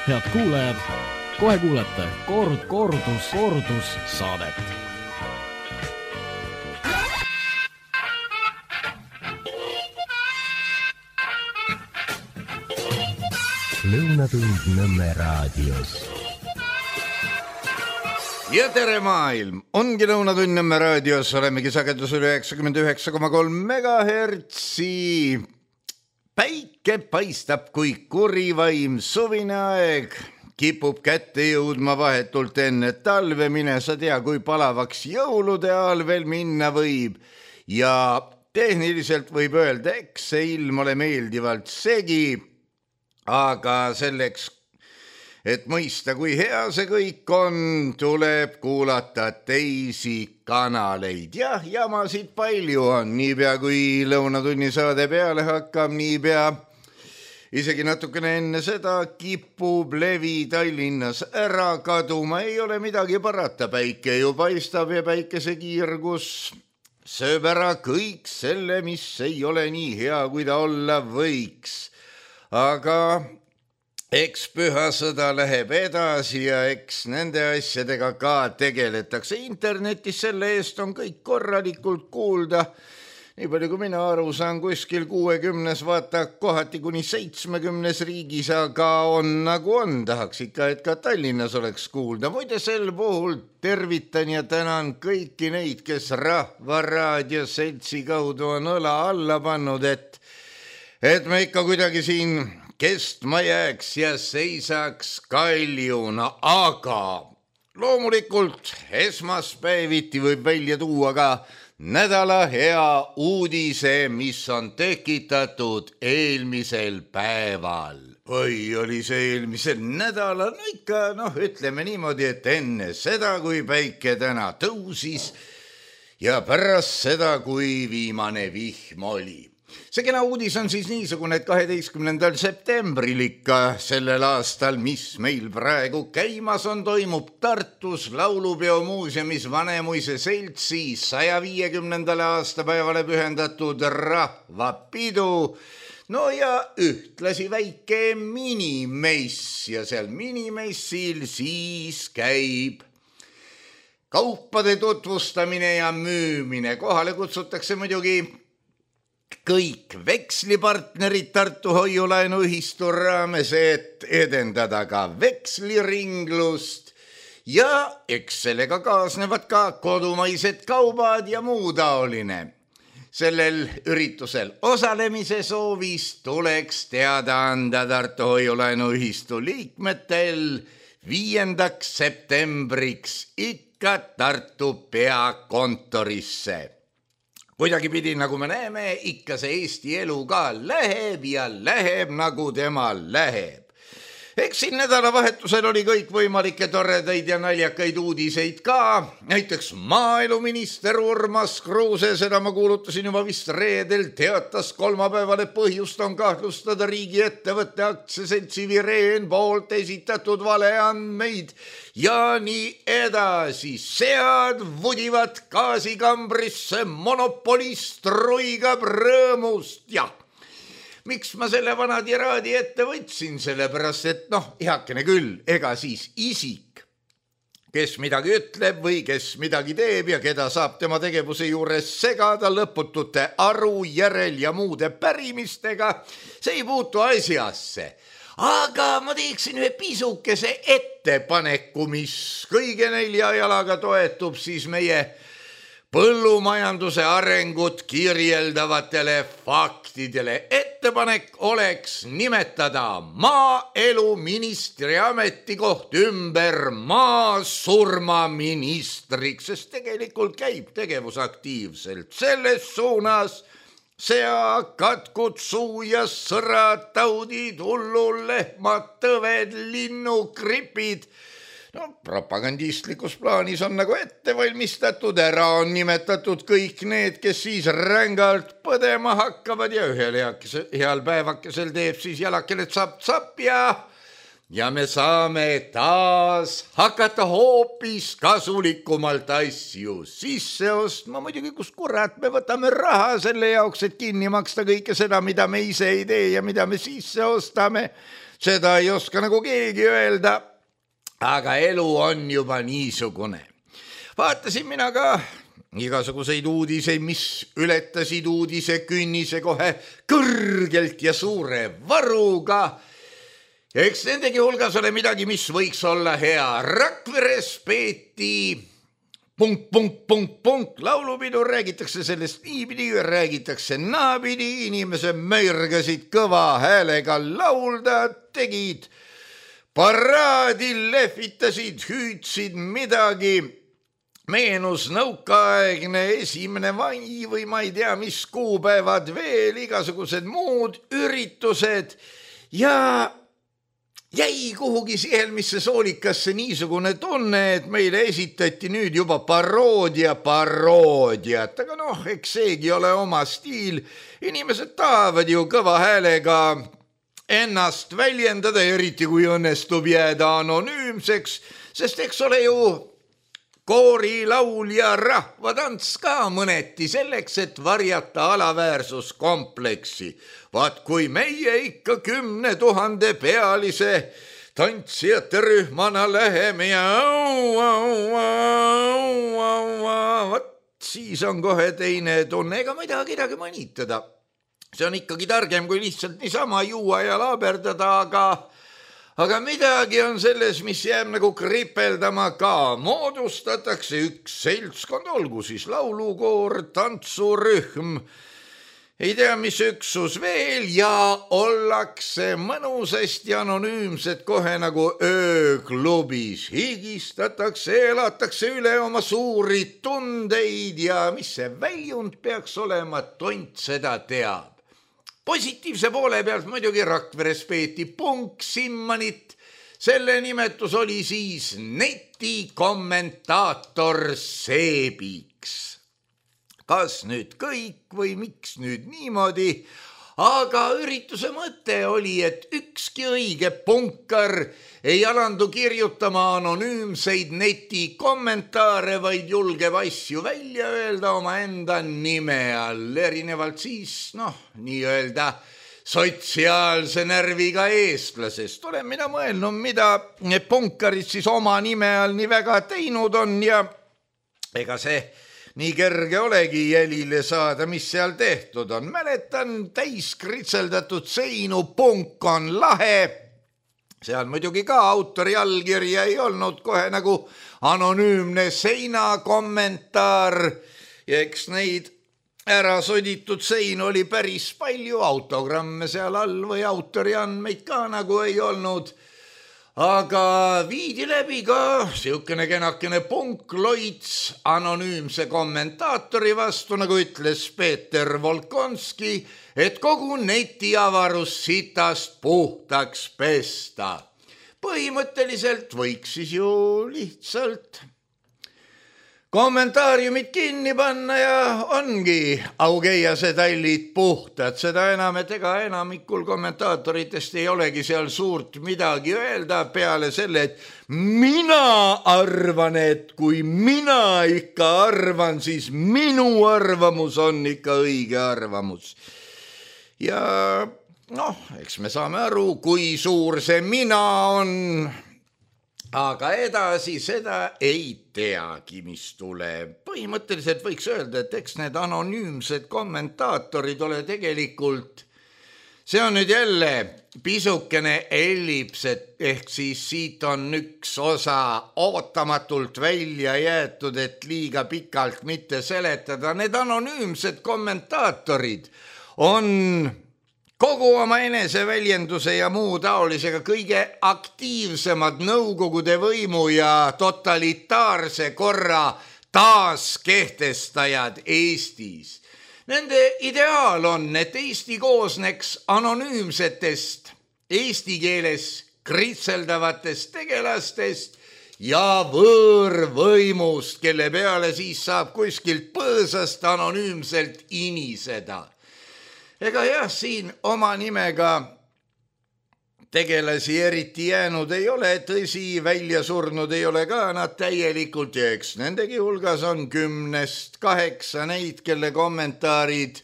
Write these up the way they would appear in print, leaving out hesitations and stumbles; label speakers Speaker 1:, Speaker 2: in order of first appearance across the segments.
Speaker 1: Head kuulajad, kohe kuulete kordus saadet.
Speaker 2: Lõunatund Nõmme raadios.
Speaker 3: Ja tere maailm! Ongi Lõunatund Nõmme raadios, olemegi sagedusel 99,3 megahertsi. Päike paistab kui kurivaim, suvine aeg kipub kätte jõudma vahetult enne talve, mine sa tea, kui palavaks jõulude ajal veel minna võib. Ja tehniliselt võib öelda, eks see ilm ole meeldivalt segi, aga selleks, et mõista, kui hea see kõik on, tuleb kuulata teisi kanaleid. Jah, jamasid palju on, niipea kui Lõunatunni saade peale hakkab, niipea isegi natukene enne seda kipub levi Tallinnas ära kaduma. Ei ole midagi parata, päike ju paistab ja päikesekiirgus sööb ära kõik selle, mis ei ole nii hea, kui ta olla võiks. Aga eks pühasõda läheb edasi ja eks nende asjadega ka tegeletakse. Internetis selle eest on kõik korralikult kuulda. Nii palju kui mina aru saan, kuskil 60, vaata kohati kuni 70 riigis, aga on nagu on. Tahaks ikka, et ka Tallinnas oleks kuulda. Muide sel puhul tervitan ja tänan kõiki neid, kes Rahva Raadio Seltsi kaudu on õla alla pannud, et me ikka kuidagi siin kestma jääks ja seisaks kaljuna, aga loomulikult esmaspäeviti võib välja tuua ka nädala hea uudise, mis on tekitatud eelmisel päeval. Või oli see eelmisel nädalal? No ikka, ütleme niimoodi, et enne seda, kui päike täna tõusis ja pärast seda, kui viimane vihm oli. See kena uudis on siis niisugune, et 12. septembril ikka sellel aastal, mis meil praegu käimas on, toimub Tartus Laulupeo muuseumis Vanemuise Seltsi 150. aastapäevale pühendatud rahvapidu. No ja ühtlasi väike minimess ja seal minimessil siis käib kaupade tutvustamine ja müümine. Kohale kutsutakse muidugi kõik vekslipartnerid Tartu hoiulaenuühistu raames, et edendada ka veksliringlust ja eks sellega kaasnevad ka kodumaised kaubad ja muu taoline. Sellel üritusel osalemise soovis tuleks teada anda Tartu hoiulaenuühistu liikmetel 5. septembriks ikka Tartu peakontorisse. Kuidagi pidi, nagu me näeme, ikka see Eesti elu ka läheb ja läheb, nagu tema läheb. Eks siin nädalavahetusel oli kõik võimalikke toredaid ja naljakaid uudiseid ka. Näiteks maaeluminister Urmas Kruuse, seda ma kuulutasin juba vist reedel, teatas kolmapäeval, et põhjust on kahtlustada riigiettevõtte aktsiaseltsi Vireen poolt esitatud valeandmeid ja nii edasi. Sead vudivad gaasikambrisse, monopolist ruigab rõõmust. Jah, miks ma selle vana tiraadi ette võtsin? Sellepärast, et heakene küll, ega siis isik, kes midagi ütleb või kes midagi teeb ja keda saab tema tegevuse juures segada lõputute aru, järel ja muude pärimistega, see ei puutu asjasse. Aga ma teeksin ühe pisukese ettepaneku, mis kõige 4 jalaga toetub siis meie põllumajanduse arengut kirjeldavatele faktidele. Ettepanek oleks nimetada maaeluministri ametikoht ümber maasurmaministriks, sest tegelikult käib tegevus aktiivselt selles suunas. Sea, katkud, suu ja sõrad, taudid, hullulehmad, tõved, linnugripid. Propagandistlikus plaanis on nagu ette valmistatud, ära on nimetatud kõik need, kes siis rängalt põdema hakkavad ja ühel heal päevakesel teeb siis jalakene tsapp-tsapp ja ja me saame taas hakata hoopis kasulikumalt asju sisse ostma. Muidugi, kus kurat me võtame raha selle jaoks, et kinni maksta kõike seda, mida me ise ei tee ja mida me sisse ostame. Seda ei oska nagu keegi öelda, aga elu on juba niisugune. Vaatasin mina ka igasuguseid uudiseid, mis ületasid uudise künnise kohe kõrgelt ja suure varuga. Ja eks nendegi hulgas ole midagi, mis võiks olla hea. Rakveres peeti ... laulupidu, räägitakse sellest niipidi, räägitakse naapidi, inimesed möirgasid kõva häälega laulda, tegid paraadi, lehvitasid, hüüdsid midagi. Meenus nõukaaegne 1. mai või ma ei tea, mis kuupäevad veel, igasugused muud üritused ja jäi kuhugi sihelmisse soolikasse niisugune tunne, et meile esitati nüüd juba paroodiat, aga eks seegi ole oma stiil. Inimesed tahavad ju kõva häälega ennast väljendada, eriti kui õnnestub jääda anonüümseks, sest eks ole ju koori, laul ja rahvatants ka mõneti selleks, et varjata alaväärsuskompleksi. Vaat kui meie ikka 10 000 pealise tantsijate rühmana läheme ja vaat siis on kohe teine tunne, ega ma ei taha kedagi mõnitada. See on ikkagi targem, kui lihtsalt niisama juua ja laaberdada, aga midagi on selles, mis jääb nagu kripeldama ka. Moodustatakse üks seltskond, olgu siis laulukoor, tantsurühm, ei tea, mis üksus veel ja ollakse mõnusasti anonüümsed kohe nagu ööklubis. Higistatakse, elatakse üle oma suuri tundeid ja mis see väljund peaks olema, tont seda teab. Positiivse poole pealt muidugi Rakveres peeti punksimmanit. Selle nimetus oli siis netikommentaator Seebiks. Kas nüüd kõik või miks nüüd niimoodi? Aga ürituse mõte oli, et ükski õige punkar ei alandu kirjutama anonüümseid netikommentaare, vaid julgeb asju välja öelda oma enda nime all, erinevalt siis, nii-öelda sotsiaalse närviga eestlasest. Olen mina mõelnud, mida punkarid siis oma nime all nii väga teinud on ja ega see nii kerge olegi jälile saada, mis seal tehtud on. Mäletan täis kritseldatud seinu, punk on lahe. Seal muidugi ka autori allkirja ei olnud, kohe nagu anonüümne seinakommentaar. Ja eks neid ära soditud sein oli päris palju, autogramme seal all või autori andmeid ka nagu ei olnud. Aga viidi läbi ka siukene kenakene punkloits anonüümse kommentaatori vastu, nagu ütles Peeter Volkonski, et kogu netiavarus sitast puhtaks pesta. Põhimõtteliselt võiks siis ju lihtsalt kommentaariumid kinni panna ja ongi augeiase tallid puhtad. Seda enam, et ega enamikul kommentaatoritest ei olegi seal suurt midagi öelda peale selle, et mina arvan, et kui mina ikka arvan, siis minu arvamus on ikka õige arvamus. Ja eks me saame aru, kui suur see mina on. Aga edasi seda ei teagi, mis tuleb. Põhimõtteliselt võiks öelda, et eks need anonüümsed kommentaatorid ole tegelikult, see on nüüd jälle pisukene ellips, ehk siis siit on üks osa ootamatult välja jäetud, et liiga pikalt mitte seletada. Need anonüümsed kommentaatorid on kogu oma eneseväljenduse ja muu taolisega kõige aktiivsemad nõukogude võimu ja totalitaarse korra taaskehtestajad Eestis. Nende ideaal on, et Eesti koosneks anonüümsetest, eesti keeles kritseldavatest tegelastest ja võõrvõimust, kelle peale siis saab kuskilt põõsast anonüümselt iniseda. Ega jah, siin oma nimega tegelasi eriti jäänud ei ole, tõsi, välja surnud ei ole ka nad täielikult ja eks nendegi hulgas on 10-8 neid, kelle kommentaarid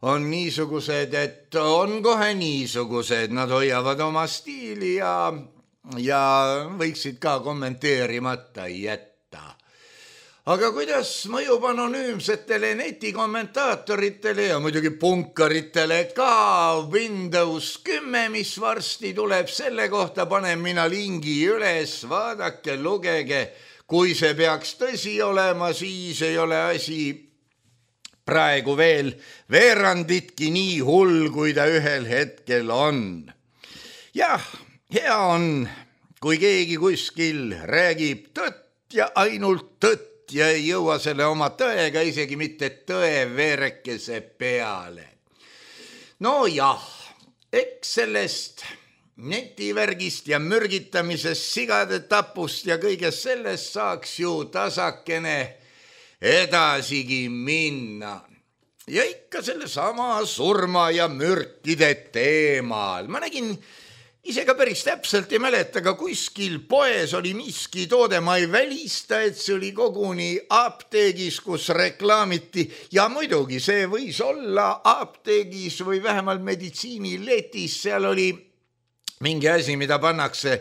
Speaker 3: on niisugused, et on kohe niisugused, nad hoiavad oma stiili ja võiksid ka kommenteerimata jätta. Aga kuidas mõjub anonüümsetele netikommentaatoritele ja muidugi punkaritele ka Windows 10, mis varsti tuleb, selle kohta panen mina lingi üles, vaadake, lugege, kui see peaks tõsi olema, siis ei ole asi praegu veel veeranditki nii hull, kui ta ühel hetkel on. Jah, hea on, kui keegi kuskil räägib tõtt ja ainult tõtt, ja ei jõua selle oma tõega isegi mitte tõeverekese peale. No jah, eks sellest netivärgist ja mürgitamisest, sigade tapust ja kõigest sellest saaks ju tasakene edasigi minna. Ja ikka selle sama surma ja mürkide teemal. Ma nägin ise ka päris täpselt ei mäleta, aga kuskil poes oli miski toode, ma ei välista, et see oli koguni apteegis, kus reklaamiti ja muidugi see võis olla apteegis või vähemalt meditsiiniletis, seal oli mingi asi, mida pannakse,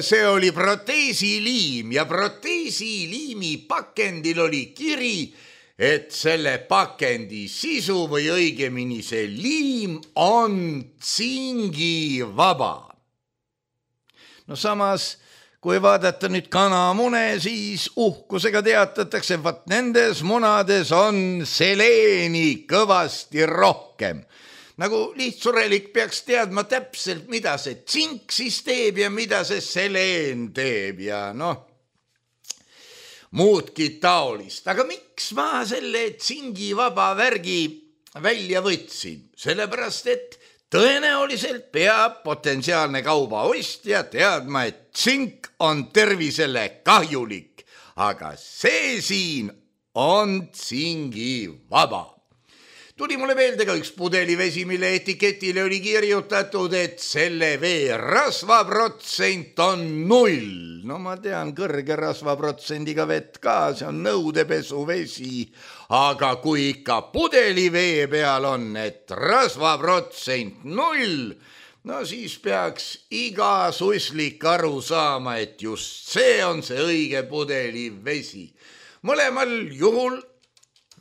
Speaker 3: see oli proteesiliim ja proteesiliimi pakendil oli kiri, et selle pakendi sisu või õigemini see liim on tsingivaba. No samas, kui vaadata nüüd kanamune, siis uhkusega teatatakse, vaat nendes munades on seleeni kõvasti rohkem. Nagu lihtsurelik peaks teadma täpselt, mida see tsink siis teeb ja mida see seleen teeb ja muudki taolist. Aga miks ma selle tsingivaba värgi välja võtsin? Sellepärast, et tõenäoliselt peab potentsiaalne kauba ostja teadma, et tsink on tervisele kahjulik, aga see siin on tsingivaba. Tuli mulle meelde ka üks pudelivesi, mille etiketile oli kirjutatud, et selle vee rasvaprotsent on 0. No ma tean kõrge rasvaprotsendiga vett ka, see on nõudepesuvesi, aga kui ikka pudelivee peal on, et rasvaprotsent 0, no siis peaks iga suslik aru saama, et just see on see õige pudelivesi. Mõlemal juhul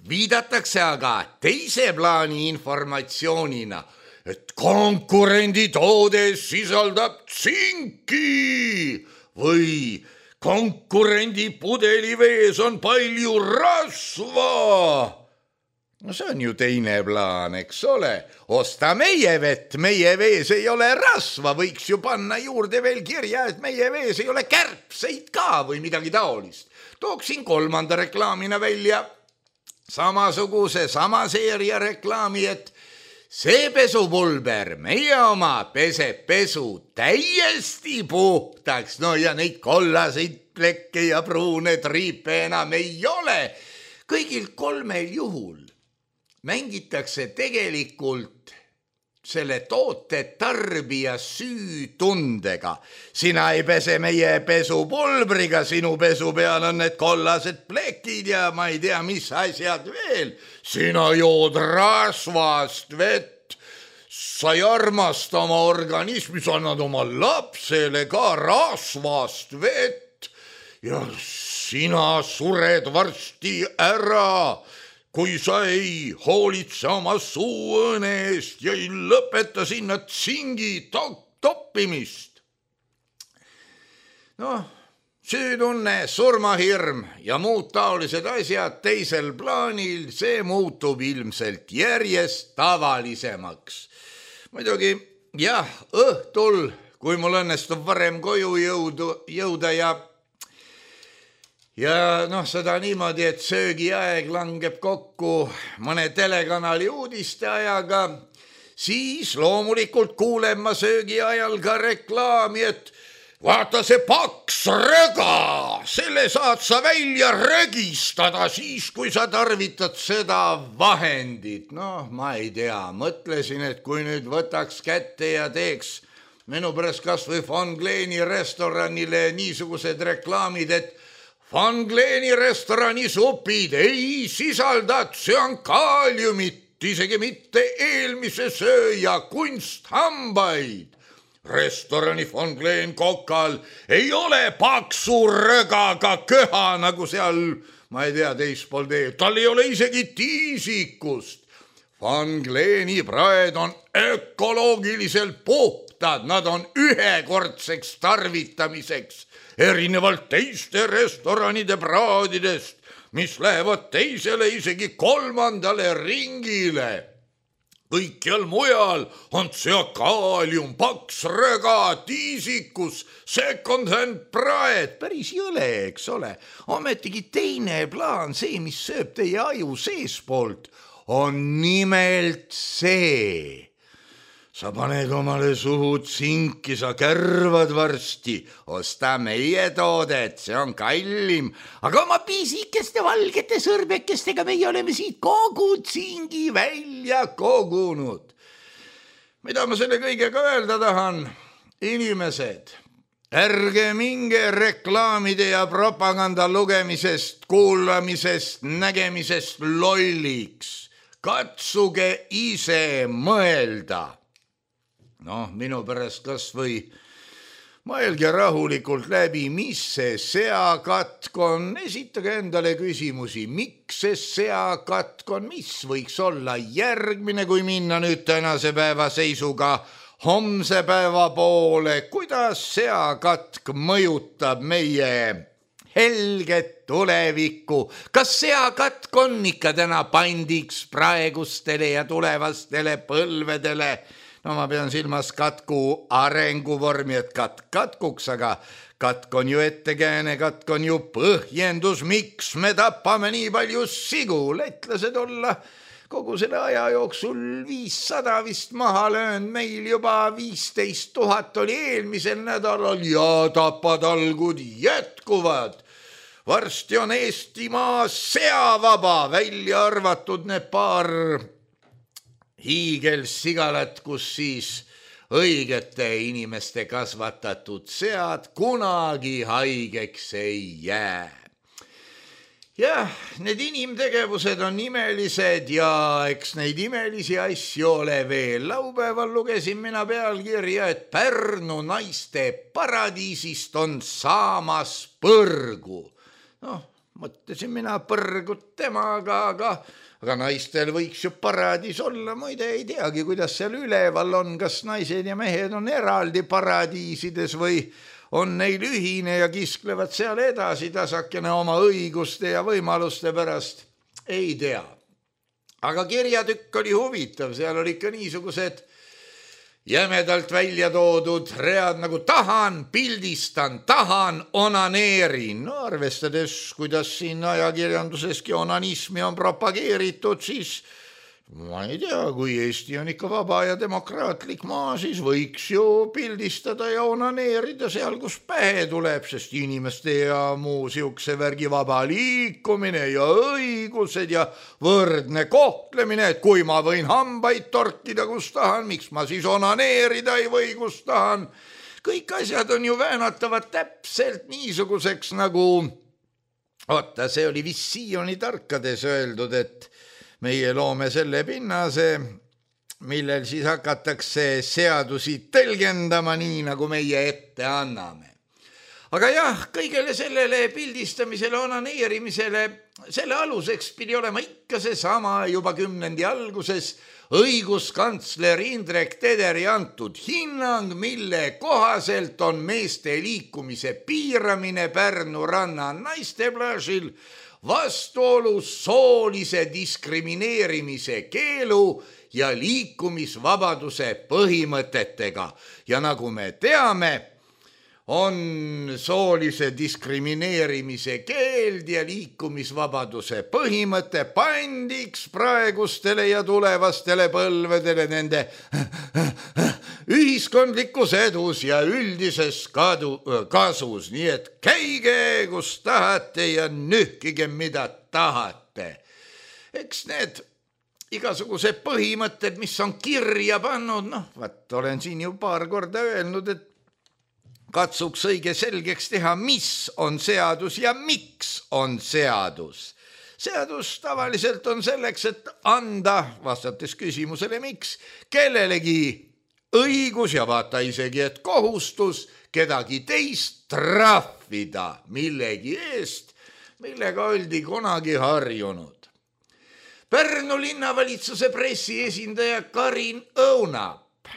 Speaker 3: viidatakse aga teise plaani informatsioonina, et konkurendi toode sisaldab tsinki või konkurendi pudelivees on palju rasva. No see on ju teine plaan, eks ole. Osta meie vett, meie vees ei ole rasva, võiks ju panna juurde veel kirja, et meie vees ei ole kärbseid ka või midagi taolist. Tooksin kolmanda reklaamina välja samasuguse, sama seeria reklaami, et see pesupulber, meie oma peseb pesu täiesti puhtaks, no ja neid kollaseid plekke ja pruune triipe enam ei ole. Kõigil kolmel juhul mängitakse tegelikult selle toote tarbija süütundega. Sina ei pese meie pesupulbriga, sinu pesu peal on need kollased plekid ja ma ei tea, mis asjad veel. Sina jood rasvast vett, sa ei armasta oma organismi, sa annad oma lapsele ka rasvast vett ja sina sured varsti ära, kui sa ei hoolitse oma suuõõne eest ja ei lõpeta sinna tsingi toppimist. Süütunne, surmahirm ja muud taolised asjad teisel plaanil, see muutub ilmselt järjest tavalisemaks. Muidugi, jah, õhtul, kui mul õnnestub varem koju jõuda ja seda niimoodi, et söögiaeg langeb kokku mõne telekanali uudiste ajaga, siis loomulikult kuulen ma söögiajal ka reklaami, et vaata see paks röga, selle saad sa välja rögistada siis, kui sa tarvitad seda vahendit. Ma ei tea, mõtlesin, et kui nüüd võtaks kätte ja teeks minu pärast kas või Van Gleeni restoranile niisugused reklaamid, et Van Gleeni restorani supid ei sisalda tsüankaaliumit, isegi mitte eelmise sööja kunsthambaid. Restorani Van Gleen kokal ei ole paksu rögaga köha nagu seal, ma ei tea, teispool teed. Tal ei ole isegi tiisikust. Van Gleeni praed on ökoloogiliselt puhtad, nad on ühekordseks tarvitamiseks, erinevalt teiste restoranide praadidest, mis lähevad teisele, isegi kolmandale ringile. Kõikjal mujal on tsüankaalium, paks röga, tiisikus, second-hand praed, päris jõle, eks ole. Ometigi teine plaan, see, mis sööb teie aju seespoolt, on nimelt see. Sa paned omale suhu tsinki, sa kärvad varsti, osta meie toodet, see on kallim, aga oma pisikeste valgete sõrbekestega meie oleme siit kogu tsingi välja kogunud. Mida ma selle kõigega öelda tahan? Inimesed, ärge minge reklaamide ja propaganda lugemisest, kuulamisest, nägemisest lolliks. Katsuge ise mõelda. Noh, minu pärast kas või mõelge rahulikult läbi, mis see seakatk on. Esitage endale küsimusi, miks see seakatk on, mis võiks olla järgmine, kui minna nüüd tänase päeva seisuga homse päeva poole. Kuidas seakatk mõjutab meie helget tulevikku? Kas seakatk on ikka täna pandiks praegustele ja tulevastele põlvedele? No ma pean silmas katku arenguvormi, et katkuks, aga katk on ju ettekääne, katk on ju põhjendus, miks me tapame nii palju sigu. Lätlased olla kogu selle aja jooksul 500 vist maha löönud, meil juba 15 000 oli eelmisel nädalal ja tapatalgud jätkuvad. Varsti on Eestimaa seavaba, välja arvatud need paar hiigelsigalat, kus siis õigete inimeste kasvatatud sead kunagi haigeks ei jää. Jah, need inimtegevused on imelised ja eks neid imelisi asju ole veel. Laupäeval lugesin mina pealkirja, et Pärnu naiste paradiisist on saamas põrgu. Noh, mõtlesin mina põrgut temaga, aga naistel võiks ju paradiis olla, muide ei teagi, kuidas seal üleval on, kas naised ja mehed on eraldi paradiisides või on neil ühine ja kisklevad seal edasi tasakene oma õiguste ja võimaluste pärast, ei tea. Aga kirjatükk oli huvitav, seal oli ikka niisugused jämedalt välja toodud read nagu tahan, pildistan, tahan, onaneerin. No arvestades, kuidas siin ajakirjanduseski onanismi on propageeritud, siis ma ei tea, kui Eesti on ikka vaba ja demokraatlik maa, siis võiks ju pildistada ja onaneerida seal, kus pähe tuleb, sest inimeste ja muu siukse värgi vaba liikumine ja õigused ja võrdne kohtlemine, et kui ma võin hambaid torkida, kus tahan, miks ma siis onaneerida ei või, kus tahan. Kõik asjad on ju väänatavad täpselt niisuguseks nagu, see oli vist Sioni tarkades öeldud, et meie loome selle pinnase, millel siis hakatakse seadusi tõlgendama nii, nagu meie ette anname. Aga jah, kõigele sellele pildistamisele, onaneerimisele, selle aluseks pidi olema ikka see sama juba 10. alguses õiguskantsler Indrek Tederi antud hinnang, mille kohaselt on meeste liikumise piiramine Pärnu ranna naisteplaažil vastuolus soolise diskrimineerimise keelu ja liikumisvabaduse põhimõtetega. Ja nagu me teame, on soolise diskrimineerimise keeld ja liikumisvabaduse põhimõte pandiks praegustele ja tulevastele põlvedele nende ühiskondlikus edus ja üldises kasus. Nii et käige, kus tahate ja nühkige, mida tahate. Eks need igasugused põhimõtted, mis on kirja pannud, olen siin ju paar korda öelnud, et katsuks õige selgeks teha, mis on seadus ja miks on seadus. Seadus tavaliselt on selleks, et anda, vastates küsimusele miks, kellelegi õigus ja vaata isegi, et kohustus kedagi teist trahvida millegi eest, millega oldi kunagi harjunud. Pärnu linnavalitsuse pressiesindaja Karin Õunap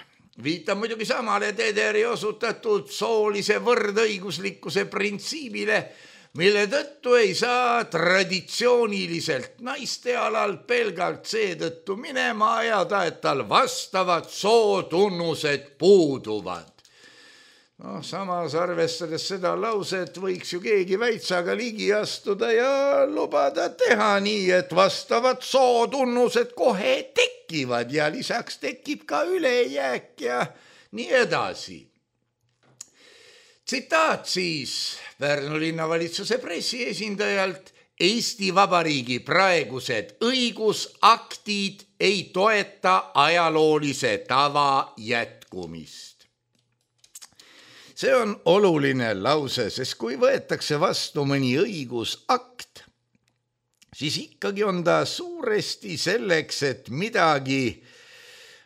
Speaker 3: viitab muidugi samale Tederi osutatud soolise võrdõiguslikkuse printsiibile, mille tõttu ei saa traditsiooniliselt naiste alal pelgalt seetõttu minema ajada, et tal vastavad sootunnused puuduvad. Samas arvestades seda lauset võiks ju keegi väitsaga ligi astuda ja lubada teha nii, et vastavad sootunnused kohe tekivad ja lisaks tekib ka ülejääk ja nii edasi. Tsitaat siis Pärnu linnavalitsuse pressiesindajalt: Eesti Vabariigi praegused õigusaktid ei toeta ajaloolise tava jätkumist. See on oluline lause, sest kui võetakse vastu mõni õigusakt, siis ikkagi on ta suuresti selleks, et midagi,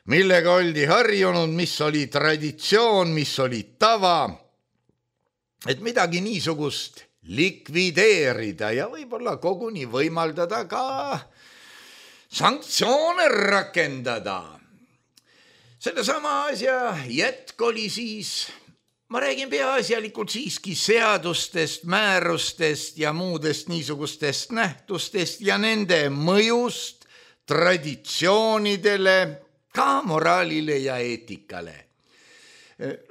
Speaker 3: millega oldi harjunud, mis oli traditsioon, mis oli tava, et midagi niisugust likvideerida ja võib-olla koguni võimaldada ka sanktsioone rakendada. Sellesama asja jätk oli siis, ma räägin peaasjalikult siiski seadustest, määrustest ja muudest niisugustest nähtustest ja nende mõjust traditsioonidele, ka moraalile ja eetikale.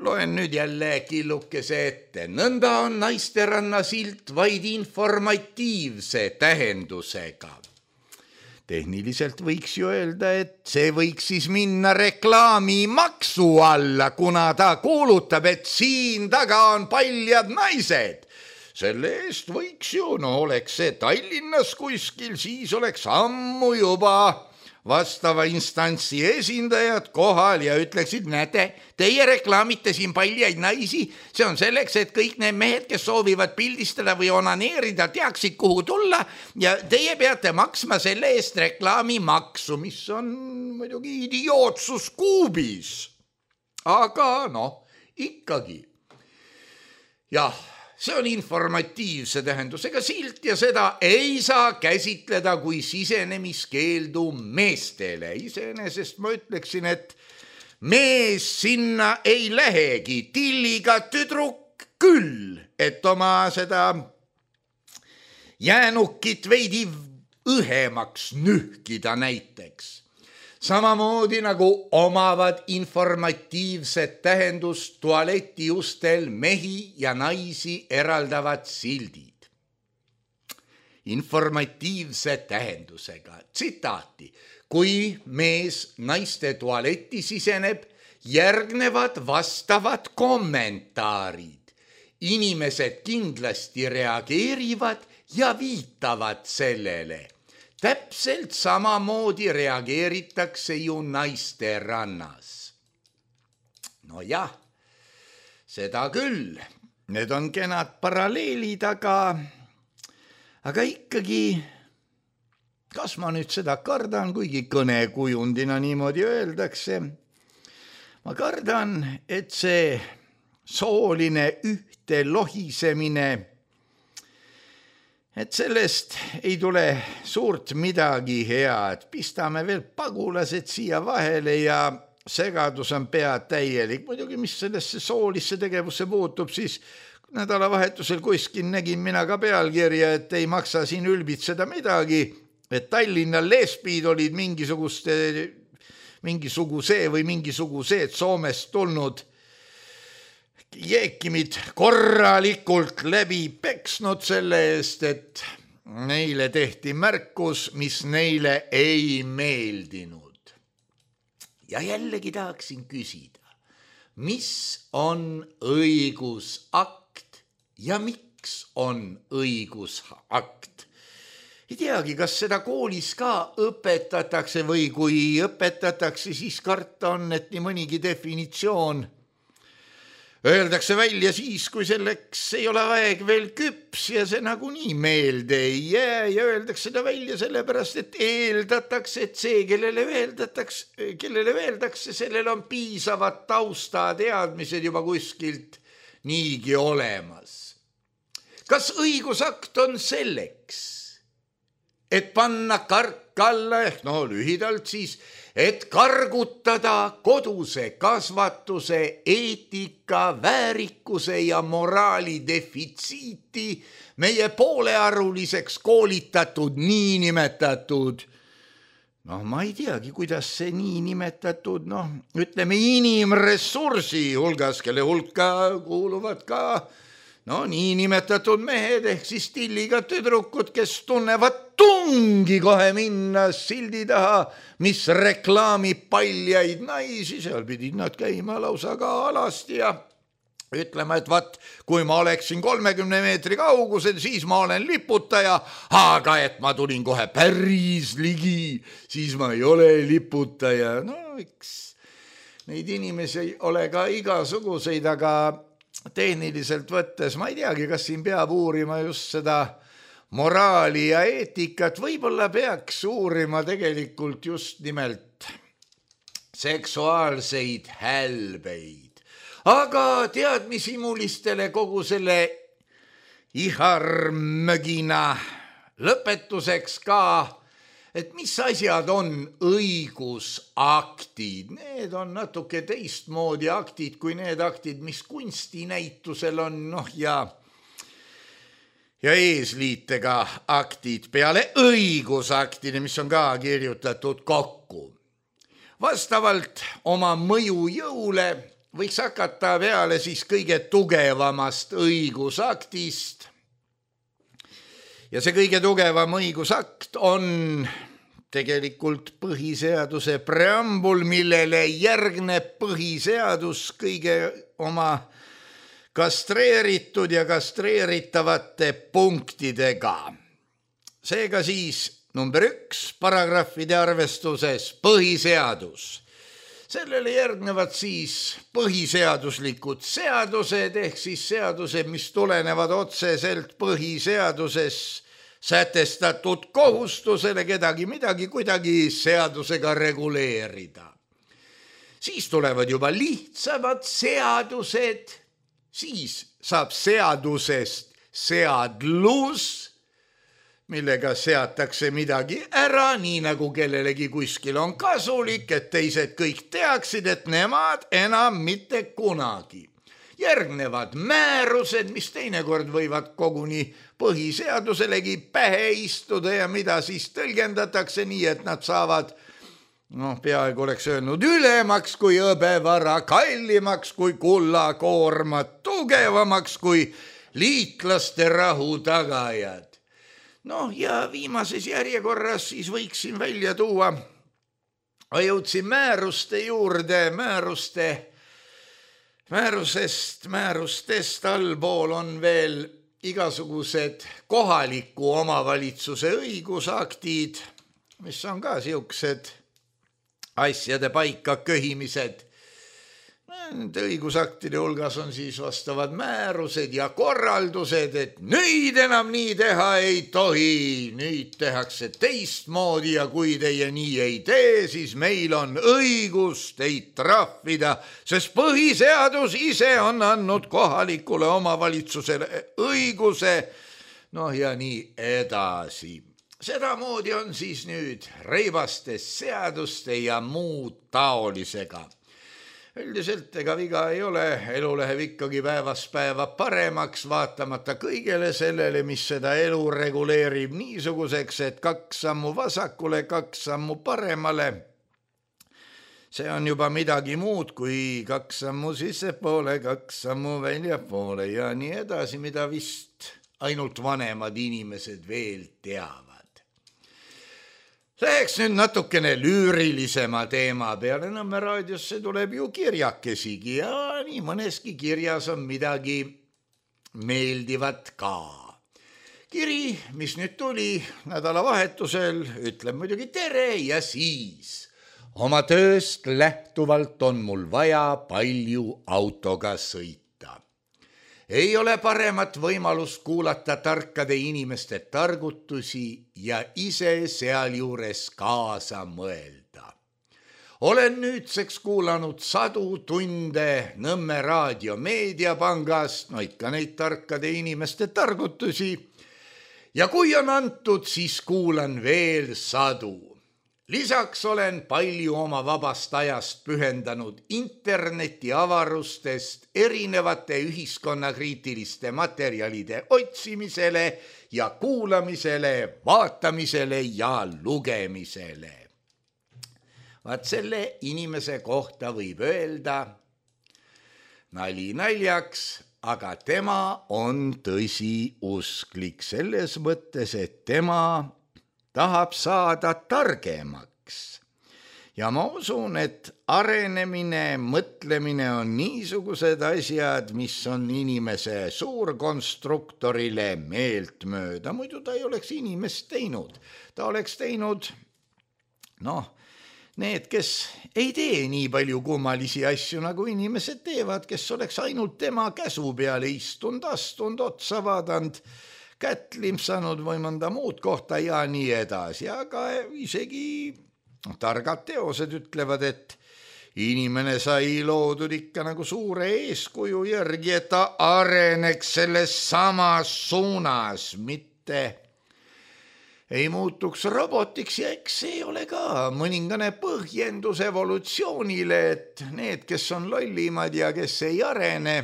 Speaker 3: Loen nüüd jälle killukese ette. Nõnda on naisteranna silt vaid informatiivse tähendusega. Tehniliselt võiks ju öelda, et see võiks siis minna reklaamimaksu alla, kuna ta kuulutab, et siin taga on paljad naised. Selle eest võiks ju, oleks see Tallinnas kuskil, siis oleks ammu juba vastava instantsi esindajad kohal ja ütleksid, näete, teie reklaamite siin paljaid naisi, see on selleks, et kõik need mehed, kes soovivad pildistada või onaneerida, teaksid, kuhu tulla ja teie peate maksma selle eest reklaamimaksu, mis on muidugi idiootsus kuubis. Aga ikkagi. Jah, see on informatiivse tähendusega silt ja seda ei saa käsitleda kui sisenemiskeeldu meestele. Iseenesest ma ütleksin, et mees sinna ei lähegi, tilliga tüdruk küll, et oma seda jäänukit veidi õhemaks nühkida näiteks. Samamoodi nagu omavad informatiivset tähendust tualetiustel mehi ja naisi eraldavad sildid. Informatiivse tähendusega. Tsitaati. Kui mees naiste tualetti siseneb, järgnevad vastavad kommentaarid. Inimesed kindlasti reageerivad ja viitavad sellele. Täpselt samamoodi reageeritakse ju naiste rannas. Jah, seda küll. Need on kenad paralleelid, aga ikkagi, kas ma nüüd seda kardan, kuigi kõnekujundina niimoodi öeldakse, ma kardan, et see sooline ühte lohisemine, et sellest ei tule suurt midagi head. Pistame veel pagulased siia vahele ja segadus on pea täielik. Muidugi, mis sellesse soolisse tegevusse puutub, siis nädalavahetusel kuskil nägin mina ka pealkirja, et ei maksa siin ülbitseda midagi, et Tallinna lesbid olid mingisugused Soomest tulnud jeekimid korralikult läbi peksnud selle eest, et neile tehti märkus, mis neile ei meeldinud. Ja jällegi tahaksin küsida, mis on õigusakt ja miks on õigusakt? ei teagi, kas seda koolis ka õpetatakse või kui õpetatakse, siis karta on, et nii mõnigi definitsioon öeldakse välja siis, kui selleks ei ole aeg veel küps ja see nagunii meelde ei jää ja öeldakse seda välja sellepärast, et eeldatakse, et see, kellele öeldakse, sellel on piisavad taustateadmised juba kuskilt niigi olemas. Kas õigusakt on selleks, et panna kark alla ehk lühidalt siis, et kargutada koduse kasvatuse, eetika, väärikuse ja moraali defitsiiti meie poolearuliseks koolitatud niinimetatud, ma ei teagi, kuidas see niinimetatud, ütleme inimressursi hulgas, kelle hulka kuuluvad ka niinimetatud mehed ehk siis tilliga tüdrukud, kes tunnevad tungi kohe minna sildi taha, mis reklaamib paljaid naisi, seal pidid nad käima lausa ka alasti ja ütlema, et vaat, kui ma oleksin 30 meetri kaugusel, siis ma olen liputaja, aga et ma tulin kohe päris ligi, siis ma ei ole liputaja. Eks neid inimesi ole ka igasuguseid, aga tehniliselt võttes ma ei teagi, kas siin peab uurima just seda moraali ja eetikat, võib-olla peaks uurima tegelikult just nimelt seksuaalseid hälbeid. Aga teadmisimulistele kogu selle iharmögina lõpetuseks ka, et mis asjad on õigusaktid. Need on natuke teistmoodi aktid kui need aktid, mis kunstinäitusel on, ja eesliitega aktid peale õigusaktide, mis on ka kirjutatud kokku. Vastavalt oma mõjujõule võiks hakata peale siis kõige tugevamast õigusaktist. Ja see kõige tugevam õigusakt on tegelikult põhiseaduse preambul, millele järgneb põhiseadus kõige oma kastreeritud ja kastreeritavate punktidega. Seega siis number 1 paragrahvide arvestuses põhiseadus. Sellele järgnevad siis põhiseaduslikud seadused ehk siis seadused, mis tulenevad otseselt põhiseaduses sätestatud kohustusele kedagi midagi kuidagi seadusega reguleerida. Siis tulevad juba lihtsamad seadused, siis saab seadusest seadlus, millega seatakse midagi ära, nii nagu kellelegi kuskil on kasulik, et teised kõik teaksid, et nemad enam mitte kunagi. Järgnevad määrused, mis teinekord võivad koguni põhiseaduselegi pähe istuda ja mida siis tõlgendatakse nii, et nad saavad, peaaegu oleks öelnud, ülemaks kui hõbevara, kallimaks kui kullakoormad, tugevamaks kui liitlaste rahu tagajad. Ja viimases järjekorras siis võiksin välja tuua, jõudsin määruste juurde, määrustest allpool on veel igasugused kohaliku omavalitsuse õigusaktid, mis on ka siuksed asjade paika köhimised. Nende õigusaktide hulgas on siis vastavad määrused ja korraldused, et nüüd enam nii teha ei tohi, nüüd tehakse teistmoodi ja kui teie nii ei tee, siis meil on õigus teid trahvida, sest põhiseadus ise on andnud kohalikule omavalitsusele õiguse, ja nii edasi. Sedamoodi on siis nüüd reivaste seaduste ja muud taolisega. Üldiselt ega viga ei ole, elu läheb ikkagi päevast päeva paremaks, vaatamata kõigele sellele, mis seda elu reguleerib niisuguseks, et 2 sammu vasakule, 2 sammu paremale. See on juba midagi muud kui 2 sammu sissepoole, 2 sammu väljapoole ja nii edasi, mida vist ainult vanemad inimesed veel teavad. Läheks nüüd natukene lüürilisema teema peale, Nõmme raadiosse tuleb ju kirjakesigi ja nii mõneski kirjas on midagi meeldivat ka. kiri, mis nüüd tuli nädalavahetusel, ütleb muidugi tere ja siis. Oma tööst lähtuvalt on mul vaja palju autoga sõita. Ei ole paremat võimalust kuulata tarkade inimeste targutusi ja ise sealjuures kaasa mõelda. Olen nüüdseks kuulanud 100 tunde Nõmme raadio meediapangast, no ikka neid tarkade inimeste targutusi, ja kui on antud, siis kuulan veel 100. Lisaks olen palju oma vabast ajast pühendanud interneti avarustest erinevate ühiskonnakriitiliste materjalide otsimisele ja kuulamisele, vaatamisele ja lugemisele. Vaat selle inimese kohta võib öelda, nali naljaks, aga tema on tõsiusklik selles mõttes, et tema tahab saada targemaks. Ja ma usun, et arenemine, mõtlemine on niisugused asjad, mis on inimese suurkonstruktorile meeltmööda. Muidu ta ei oleks inimest teinud. Ta oleks teinud, need, kes ei tee nii palju kummalisi asju, nagu inimesed teevad, kes oleks ainult tema käsu peale istunud, astunud, otsa vaadanud, kätt limpsanud või mõnda muud kohta ja nii edasi, aga isegi targad teosed ütlevad, et inimene sai loodud ikka nagu suure eeskuju järgi, et ta areneks selles samas suunas, mitte ei muutuks robotiks ja eks see ole ka mõningane põhjendus evolutsioonile, et need, kes on lollimad ja kes ei arene,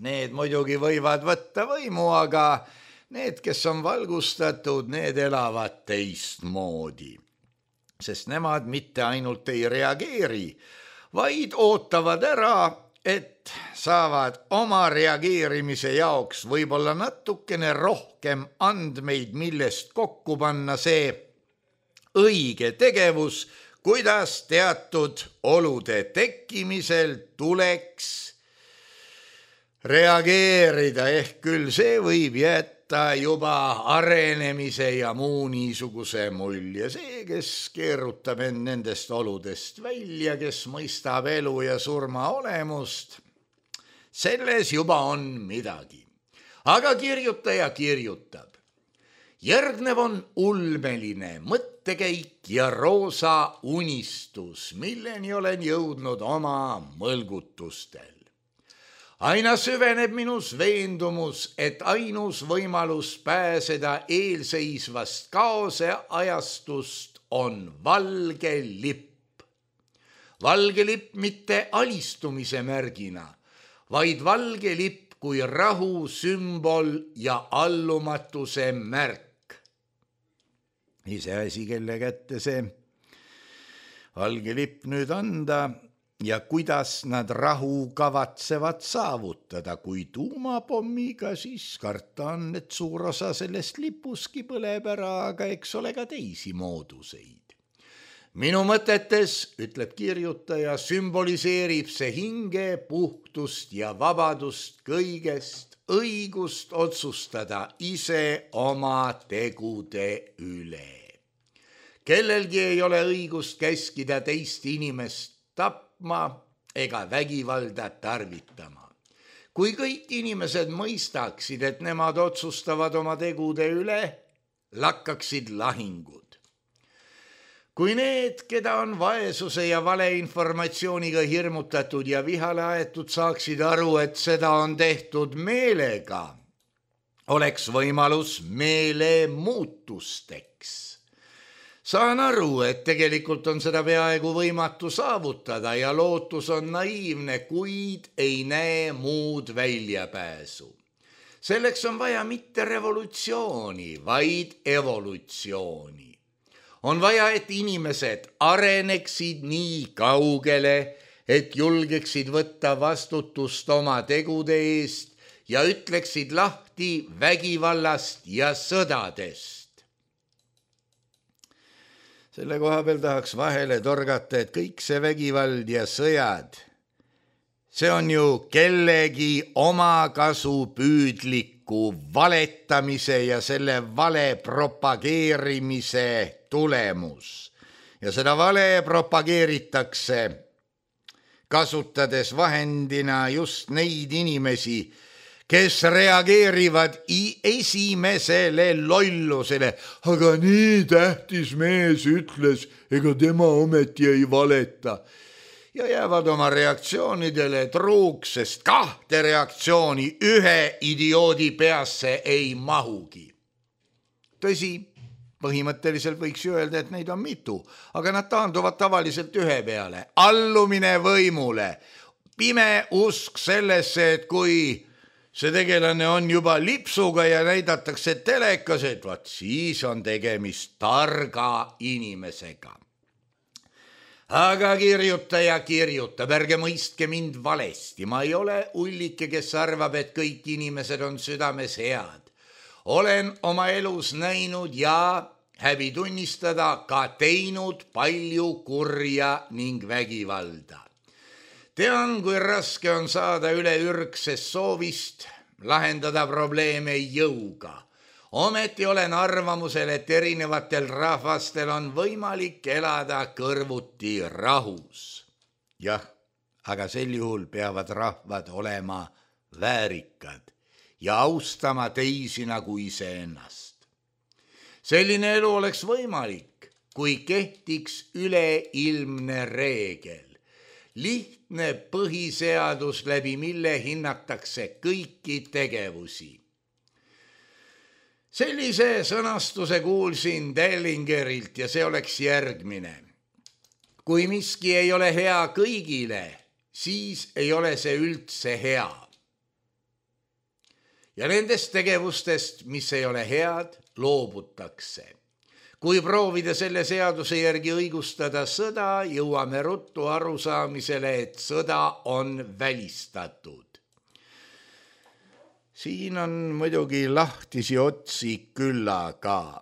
Speaker 3: need muidugi võivad võtta võimu, aga need, kes on valgustatud, need elavad teistmoodi. Sest nemad mitte ainult ei reageeri, vaid ootavad ära, et saavad oma reageerimise jaoks võib-olla natukene rohkem andmeid, millest kokku panna see õige tegevus, kuidas teatud olude tekkimisel tuleks reageerida, ehk küll see võib jätta juba arenemise ja muu niisuguse mulje. See, kes keerutab end nendest oludest välja, kes mõistab elu ja surma olemust, selles juba on midagi. Aga kirjutaja kirjutab. Järgnev on ulmeline mõttekäik ja roosa unistus, milleni olen jõudnud oma mõlgutustel. Aina süveneb minus veendumus, et ainus võimalus pääseda eelseisvast kaose ajastust on valge lipp. Valge lipp mitte alistumise märgina, vaid valge lipp kui rahu sümbol ja allumatuse märk. Iseasi, kelle kätte see valge lipp nüüd anda, ja kuidas nad rahu kavatsevad saavutada, kui tuumapommiga, siis karta on, et suur osa sellest lipuski põleb ära, aga eks ole ka teisi mooduseid. Minu mõtetes, ütleb kirjutaja, sümboliseerib see hinge, puhtust ja vabadust kõigest, õigust otsustada ise oma tegude üle. Kellelgi ei ole õigust käskida teist inimest tapma ega vägivalda tarvitama. Kui kõik inimesed mõistaksid, et nemad otsustavad oma tegude üle, lakkaksid lahingud. Kui need, keda on vaesuse ja valeinformatsiooniga hirmutatud ja vihale aetud, saaksid aru, et seda on tehtud meelega, oleks võimalus meelemuutusteks. Saan aru, et tegelikult on seda peaaegu võimatu saavutada ja lootus on naiivne, kuid ei näe muud väljapääsu. Selleks on vaja mitte revolutsiooni, vaid evolutsiooni. On vaja, et inimesed areneksid nii kaugele, et julgeksid võtta vastutust oma tegude eest ja ütleksid lahti vägivallast ja sõdadest. Selle koha peal tahaks vahele torgata, et kõik see vägivald ja sõjad, see on ju kellegi omakasu püüdlik paraku valetamise ja selle vale propageerimise tulemus. Ja seda vale propageeritakse kasutades vahendina just neid inimesi, kes reageerivad esimesele lollusele. Aga nii tähtis mees ütles, ega tema ometi ei valeta. Ja jäävad oma reaktsioonidele truuks, sest kahte reaktsiooni ühe idioodi peasse ei mahugi. Tõsi, põhimõtteliselt võiks öelda, et neid on mitu, aga nad taanduvad tavaliselt ühe peale. Allumine võimule, pime usk sellesse, et kui see tegelane on juba lipsuga ja näidatakse telekas, et vaat siis on tegemist targa inimesega. Aga kirjutaja kirjutab, ärge mõistke mind valesti, ma ei ole ullike, kes arvab, et kõik inimesed on südames head. Olen oma elus näinud ja häbi tunnistada ka teinud palju kurja ning vägivalda. Tean, kui raske on saada üle ürgsest soovist lahendada probleeme jõuga. Ometi olen arvamusel, et erinevatel rahvastel on võimalik elada kõrvuti rahus. Jah, aga sel juhul peavad rahvad olema väärikad ja austama teisi nagu iseennast. Selline elu oleks võimalik, kui kehtiks üleilmne reegel. Lihtne põhiseadus, läbi mille hinnatakse kõiki tegevusi. Sellise sõnastuse kuulsin Dellingerilt ja see oleks järgmine. Kui miski ei ole hea kõigile, siis ei ole see üldse hea. Ja nendest tegevustest, mis ei ole head, loobutakse. Kui proovida selle seaduse järgi õigustada sõda, jõuame ruttu arusaamisele, et sõda on välistatud. Siin on muidugi lahtisi otsi küllaga.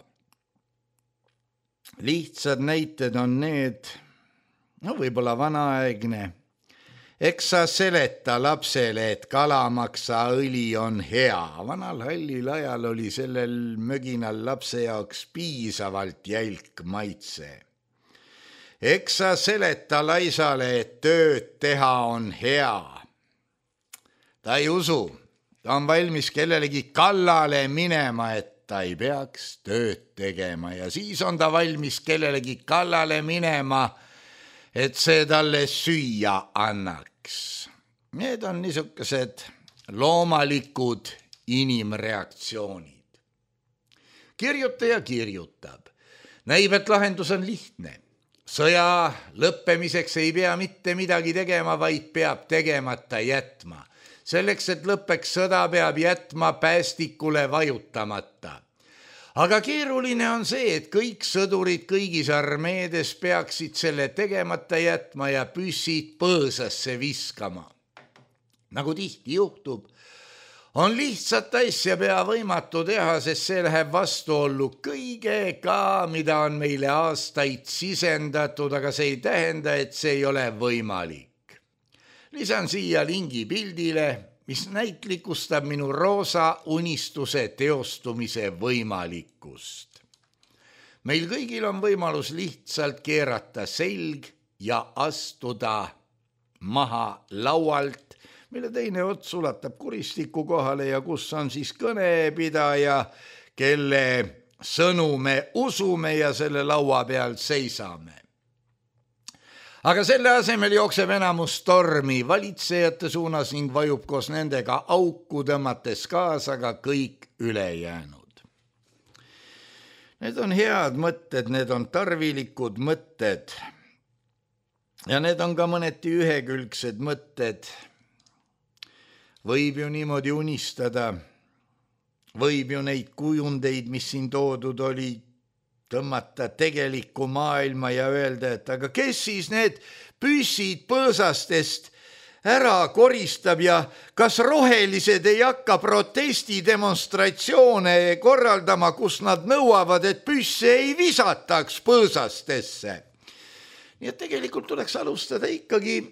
Speaker 3: Lihtsad näited on need, võib-olla vanaaegne. Eks sa seleta lapsele, et kalamaksa õli on hea. Vanal hallil ajal oli sellel möginal lapse jaoks piisavalt jälk maitse. Eks sa seleta laisale, et tööd teha on hea. Ta ei usu. Ta on valmis kellelegi kallale minema, et ta ei peaks tööd tegema ja siis on ta valmis kellelegi kallale minema, et see talle süüa annaks. Need on niisugused loomalikud inimreaktsioonid. Kirjutaja kirjutab. Näib, et lahendus on lihtne. Sõja lõppemiseks ei pea mitte midagi tegema, vaid peab tegemata jätma. Selleks, et lõppeks sõda, peab jätma päästikule vajutamata. Aga keeruline on see, et kõik sõdurid kõigis armeedes peaksid selle tegemata jätma ja püssid põõsasse viskama. Nagu tihti juhtub, on lihtsat asja pea võimatu teha, sest see läheb vastuollu kõigega, mida on meile aastaid sisendatud, aga see ei tähenda, et see ei ole võimalik. Lisan siia lingi pildile, mis näitlikustab minu roosa unistuse teostumise võimalikkust. Meil kõigil on võimalus lihtsalt keerata selg ja astuda maha laualt, mille teine ots ulatab kuristiku kohale ja kus on siis kõnepidaja, kelle sõnu me usume ja selle laua peal seisame. Aga selle asemel jookseb enamus tormi valitsejate suunas ning vajub koos nendega auku tõmmates kaasa ka kõik ülejäänud. Need on head mõtted, need on tarvilikud mõtted ja need on ka mõneti ühekülgsed mõtted. Võib ju niimoodi unistada, võib ju neid kujundeid, mis siin toodud oli, tõmmata tegelikku maailma ja öelda, et aga kes siis need püssid põõsastest ära koristab ja kas rohelised ei hakka protestidemonstratsioone korraldama, kus nad nõuavad, et püsse ei visataks põõsastesse. Nii et tegelikult tuleks alustada ikkagi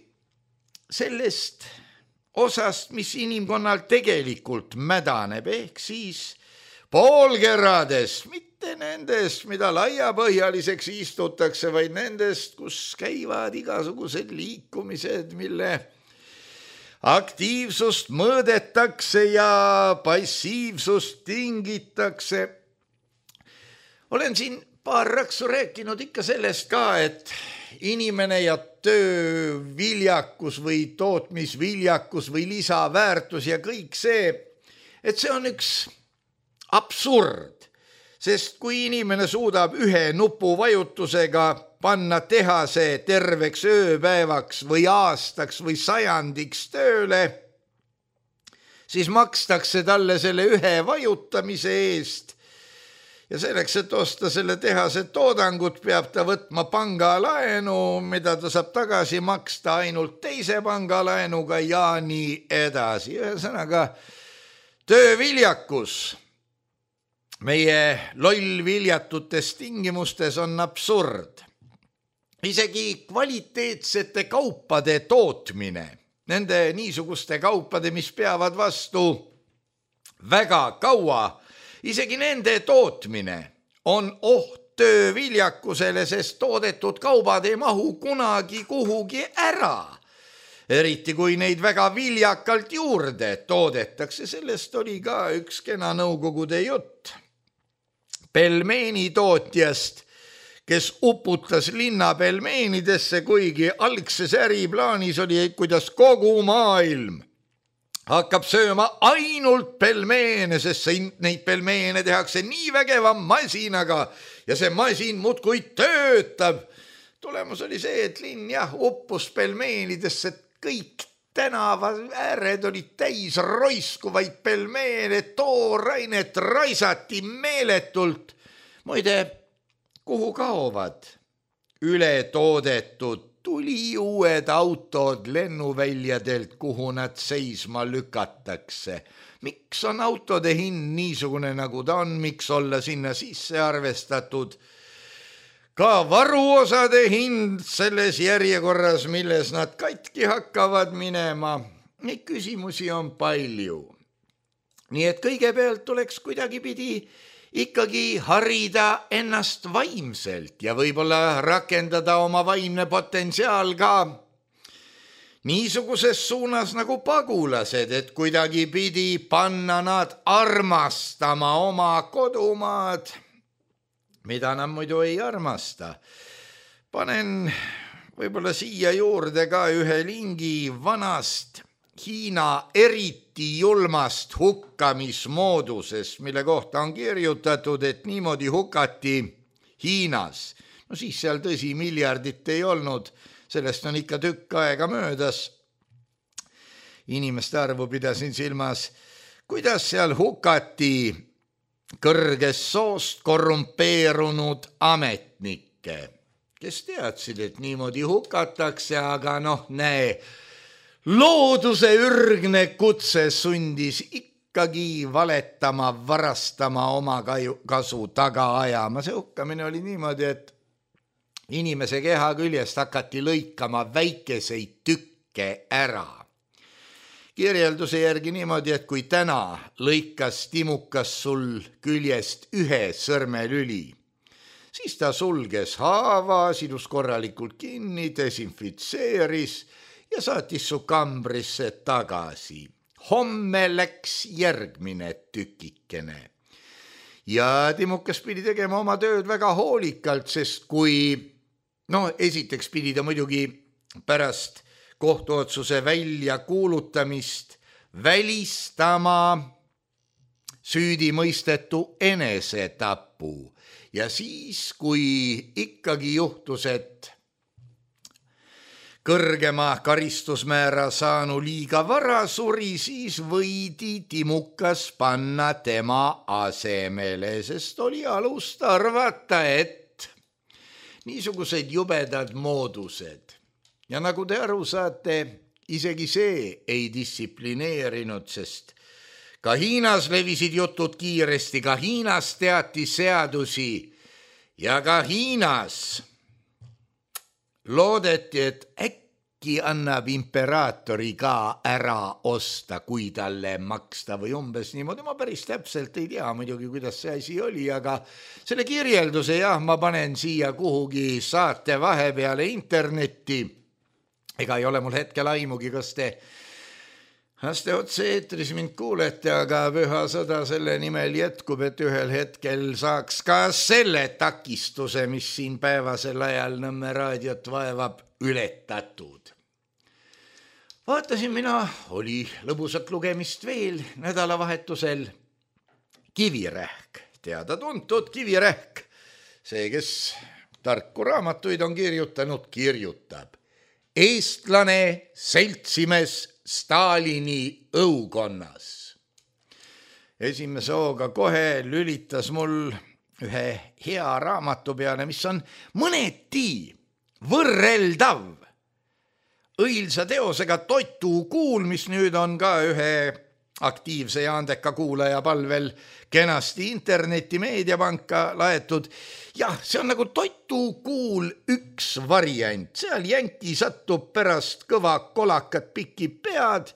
Speaker 3: sellest osast, mis inimkonnal tegelikult mädaneb, ehk siis poolkeradest, mitte nendest, mida laiapõhjaliseks istutakse, vaid nendest, kus käivad igasugused liikumised, mille aktiivsust mõõdetakse ja passiivsust tingitakse. Olen siin paar raksu rääkinud ikka sellest ka, et inimene ja tööviljakus või tootmisviljakus või lisaväärtus ja kõik see, et see on üks absurd, sest kui inimene suudab ühe nupuvajutusega panna tehase terveks ööpäevaks või aastaks või sajandiks tööle, siis makstakse talle selle ühe vajutamise eest. Ja selleks, et osta selle tehase toodangut, peab ta võtma pangalaenu, mida ta saab tagasi maksta ainult teise pangalaenuga ja nii edasi. Ühesõnaga, tööviljakus meie lollviljatutes tingimustes on absurd. Isegi kvaliteetsete kaupade tootmine, nende niisuguste kaupade, mis peavad vastu väga kaua, isegi nende tootmine on oht tööviljakusele, sest toodetud kaubad ei mahu kunagi kuhugi ära. Eriti kui neid väga viljakalt juurde toodetakse, sellest oli ka üks kena nõukogude jutt. Pelmeeni tootjast, kes uputas linna pelmeenidesse, kuigi algses äriplaanis oli, kuidas kogu maailm hakkab sööma ainult pelmeene, sest neid pelmeene tehakse nii vägeva masinaga ja see masin muudkui töötab. Tulemus oli see, et linn uppus pelmeenidesse, kõik tänava ääred olid täis roiskuvaid pelmeene, toorainet raisati meeletult. Muide, kuhu kaovad ületoodetud tuli uued autod lennuväljadelt, kuhu nad seisma lükatakse. Miks on autode hind niisugune, nagu ta on, miks olla sinna sisse arvestatud ka varuosade hind selles järjekorras, milles nad katki hakkavad minema? Neid küsimusi on palju. Nii et kõigepealt tuleks kuidagipidi ikkagi harida ennast vaimselt ja võib-olla rakendada oma vaimne potentsiaal ka niisuguses suunas nagu pagulased, et kuidagipidi panna nad armastama oma kodumaad, mida nad muidu ei armasta. Panen võib-olla siia juurde ka ühe lingi vanast Hiina eriti julmast hukkamismoodusest, mille kohta on kirjutatud, et niimoodi hukati Hiinas. No siis seal tõsi miljardit ei olnud, sellest on ikka tükk aega möödas. Inimeste arvu pidasin silmas, kuidas seal hukati kõrgest soost korrumpeerunud ametnikke, kes teadsid, et niimoodi hukatakse, aga näe, looduse ürgne kutse sundis ikkagi valetama, varastama, oma kasu taga ajama. See hukkamine oli niimoodi, et inimese keha küljest hakati lõikama väikeseid tükke ära. Kirjelduse järgi niimoodi, et kui täna lõikas timukas sul küljest ühe sõrmelüli, siis ta sulges haava, sidus korralikult kinni, desinfitseeris ja saatis su kambrisse tagasi. Homme läks järgmine tükikene. Ja timukas pidi tegema oma tööd väga hoolikalt, sest kui, esiteks pidi ta muidugi pärast kohtuotsuse välja kuulutamist välistama süüdimõistetu enesetapu. Ja siis, kui ikkagi juhtus, et kõrgema karistusmäära saanu liiga vara suri, siis võidi timukas panna tema asemele, sest oli alust arvata, et niisugused jubedad moodused. Ja nagu te aru saate, isegi see ei distsiplineerinud, sest ka Hiinas levisid jutud kiiresti, ka Hiinas teati seadusi ja ka Hiinas loodeti, et annab imperaatori ka ära osta, kui talle maksta või umbes niimoodi. Ma päris täpselt ei tea muidugi, kuidas see asi oli, aga selle kirjelduse jah, ma panen siia kuhugi saate vahepeale internetti. Ega ei ole mul hetkel aimugi, kas te otse-eetris mind kuulete, aga püha sõda selle nimel jätkub, et ühel hetkel saaks ka selle takistuse, mis siin päevasel ajal Nõmme raadiot vaevab, ületatud. Vaatasin mina, oli lõbusat lugemist veel nädalavahetusel. Kivirähk, teada-tuntud Kivirähk. See, kes tarku raamatuid on kirjutanud, kirjutab. Eestlane seltsimees Stalini õukonnas. Esimese hooga kohe lülitas mul ühe hea raamatu peale, mis on mõneti võrreldav õilsa teosega Toitu kuul, mis nüüd on ka ühe aktiivse ja andeka kuulaja palvel kenasti interneti meediapanka laetud. Jah, see on nagu Toitu kuul üks variant. Seal jänki satub pärast kõva kolakat pikib pead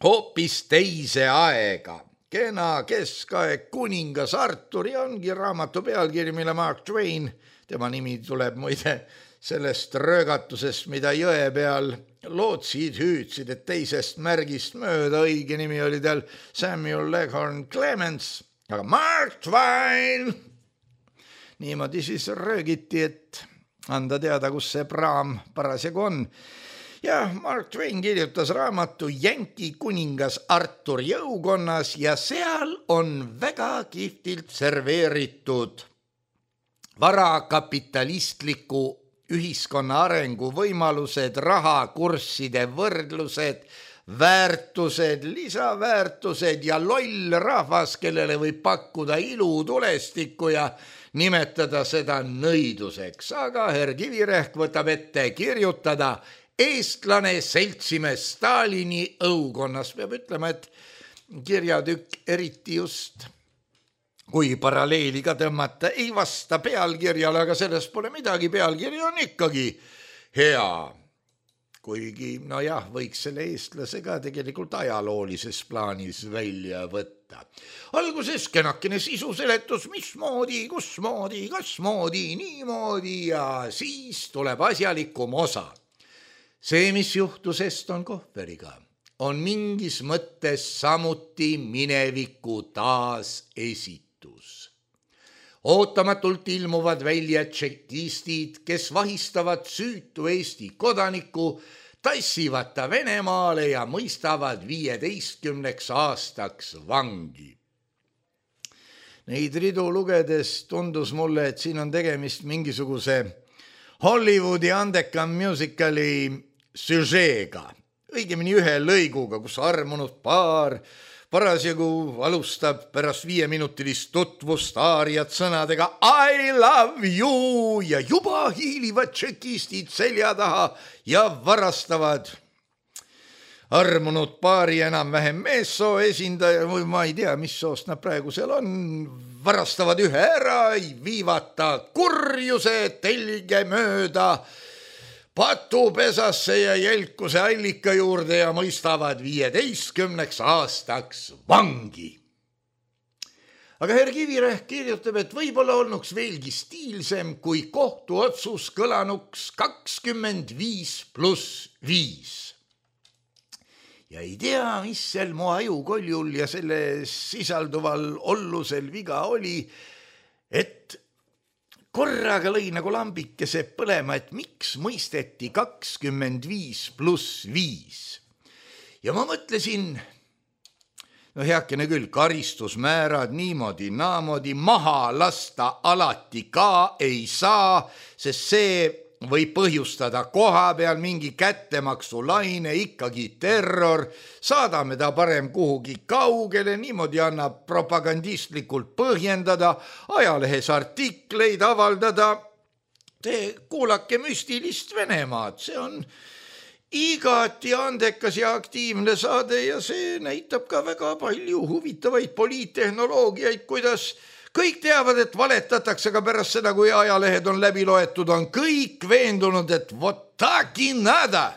Speaker 3: hoopis teise aega. Kena keskaeg kuningas Artur ja ongi raamatu pealkiri, mille Mark Twain, tema nimi tuleb muide sellest röögatusest, mida jõe peal lootsid hüüdsid, et teisest märgist mööda, õige nimi oli tal Samuel Leghorn Clements, aga Mark Twain. Niimoodi siis röögiti, et anda teada, kus see praam parasjagu on. Ja Mark Twain kirjutas raamatu Jänki kuningas Artur jõukonnas ja seal on väga kihvtilt serveeritud varakapitalistliku ühiskonna arengu võimalused, rahakursside võrdlused, väärtused, lisaväärtused ja loll rahvas, kellele võib pakkuda ilutulestikku ja nimetada seda nõiduseks. Aga herr Kivirähk võtab ette kirjutada Eestlane seltsimees Stalini õukonnas. Peab ütlema, et kirjatükk eriti just, kui paralleeli ka tõmmata, ei vasta pealkirjale, aga sellest pole midagi, pealkiri on ikkagi hea. Kuigi, no jah, võiks selle eestlase ka tegelikult ajaloolises plaanis välja võtta. Alguses kenakene sisuseletus, mismoodi, kusmoodi, kasmoodi, niimoodi ja siis tuleb asjalikum osa. See, mis juhtus Eston Kohveriga, on mingis mõttes samuti mineviku taasesitus. Ootamatult ilmuvad välja tšekistid, kes vahistavad süütu Eesti kodaniku, tassivad ta Venemaale ja mõistavad 15 aastaks vangi. Neid ridu lugedes tundus mulle, et siin on tegemist mingisuguse Hollywoodi andekam musicali süžeega, õigemini ühe lõiguga, kus armunud paar parasjagu alustab pärast 5-minutilist tutvust aariat sõnadega I love you ja juba hiilivad tšekistid selja taha ja varastavad armunud paari enam-vähem meessoo esindaja, või ma ei tea, mis soost nad praegu seal on, varastavad ühe ära, viivad ta kurjuse telge mööda patupesasse ja jälkuse allika juurde ja mõistavad 15 aastaks vangi. Aga herr Kivirähk kirjutab, et võib-olla olnuks veelgi stiilsem, kui kohtuotsus kõlanuks 25+5. Ja ei tea, mis seal mu ajukoljul ja selle sisalduval ollusel viga oli, et korraga lõi nagu lambikese põlema, et miks mõisteti 25+5. Ja ma mõtlesin, no heakene küll, karistusmäärad niimoodi, naamoodi maha lasta alati ka ei saa, sest see võib põhjustada koha peal mingi kättemaksulaine, ikkagi terror, saadame ta parem kuhugi kaugele, niimoodi annab propagandistlikult põhjendada, ajalehes artikleid avaldada. Te kuulake müstilist Venemaad, see on igati andekas ja aktiivne saade ja see näitab ka väga palju huvitavaid poliittehnoloogiaid, kuidas kõik teavad, et valetatakse, aga pärast seda, kui ajalehed on läbi loetud, on kõik veendunud, et vot taki nada,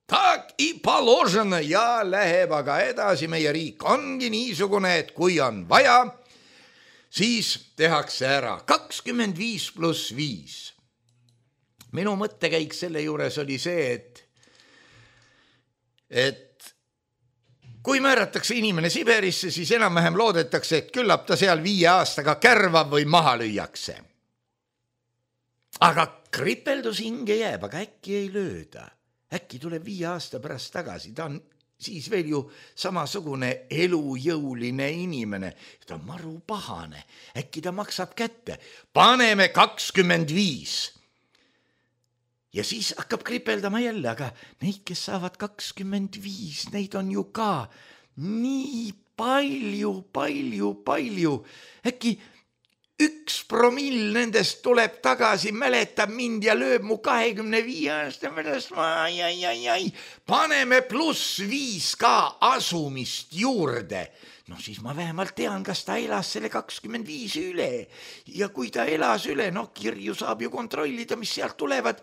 Speaker 3: tak I položena ja läheb aga edasi. Meie riik ongi niisugune, et kui on vaja, siis tehakse ära 25+5. Minu mõttekäik selle juures oli see, et kui määratakse inimene Siberisse, siis enam-vähem loodetakse, et küllap ta seal 5 aastaga kärvab või maha lüüakse. Aga kripeldus hinge jääb, aga äkki ei lööda. Äkki tuleb 5 aasta pärast tagasi, ta on siis veel ju samasugune elujõuline inimene. Ta on maru pahane, äkki ta maksab kätte. Paneme 25. Ja siis hakkab kripeldama jälle, aga neid, kes saavad 25, neid on ju ka nii palju. Äkki 1% nendest tuleb tagasi, mäletab mind ja lööb mu 25 aasta pärast. Paneme +5 ka asumist juurde. No siis ma vähemalt tean, kas ta elas selle 25 üle. Ja kui ta elas üle, kirju saab ju kontrollida, mis sealt tulevad.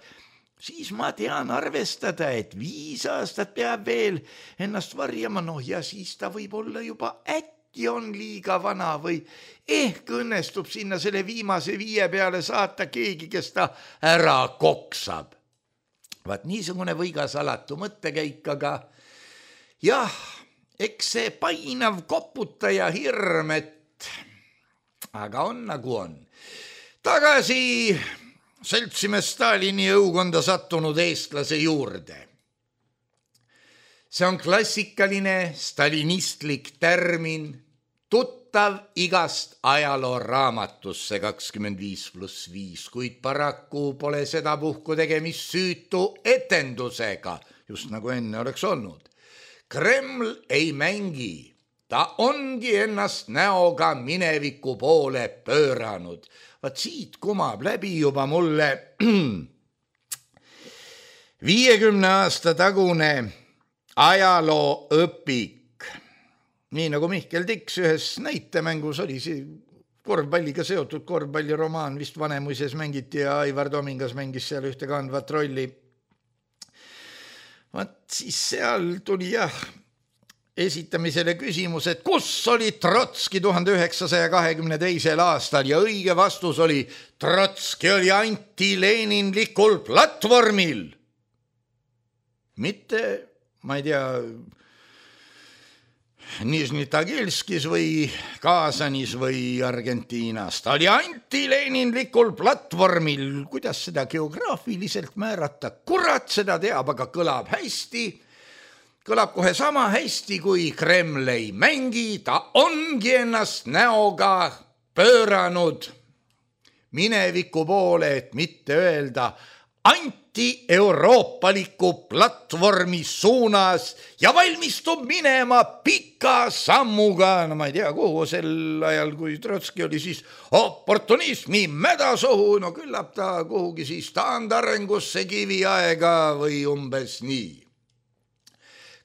Speaker 3: Siis ma tean arvestada, et 5 aastat peab veel ennast varjama, ja siis ta võib olla juba äkki on liiga vana või ehk õnnestub sinna selle viimase 5 peale saata keegi, kes ta ära koksab. Vaat niisugune võigas alatu mõttekäik, aga jah, eks see painav koputaja hirm, et aga on nagu on. Tagasi seltsimees Stalini õukonda sattunud eestlase juurde. See on klassikaline stalinistlik termin, tuttav igast ajalooraamatust, see 25+5, kuid paraku pole sedapuhku tegemist süütu etendusega, just nagu enne oleks olnud. Kreml ei mängi, ta ongi ennast näoga mineviku poole pööranud. Vaat siit kumab läbi juba mulle 50 aasta tagune ajalooõpik. Nii nagu Mihkel Tiks ühes näitemängus oli see korvpalliga seotud korvpalliromaan, vist Vanemuises mängiti ja Aivar Tomingas mängis seal ühte kandvat rolli. Vaat siis seal tuli esitamisele küsimus, et kus oli Trotski 1922. aastal ja õige vastus oli, Trotski oli antileninlikul platvormil. Mitte, ma ei tea, Nižni Tagilskis või Kaasanis või Argentiinas. Ta oli antileninlikul platvormil. Kuidas seda geograafiliselt määrata? Kurat seda teab, aga kõlab hästi. Kõlab kohe sama hästi, kui Kreml ei mängi, ta ongi ennast näoga pööranud mineviku poole, et mitte öelda anti-euroopaliku platvormi suunas ja valmistub minema pika sammuga, no ma ei tea, kuhu sel ajal, kui Trotski oli siis oportunismi mädasohu, no küllap ta kuhugi siis taandarengusse kiviaega või umbes nii.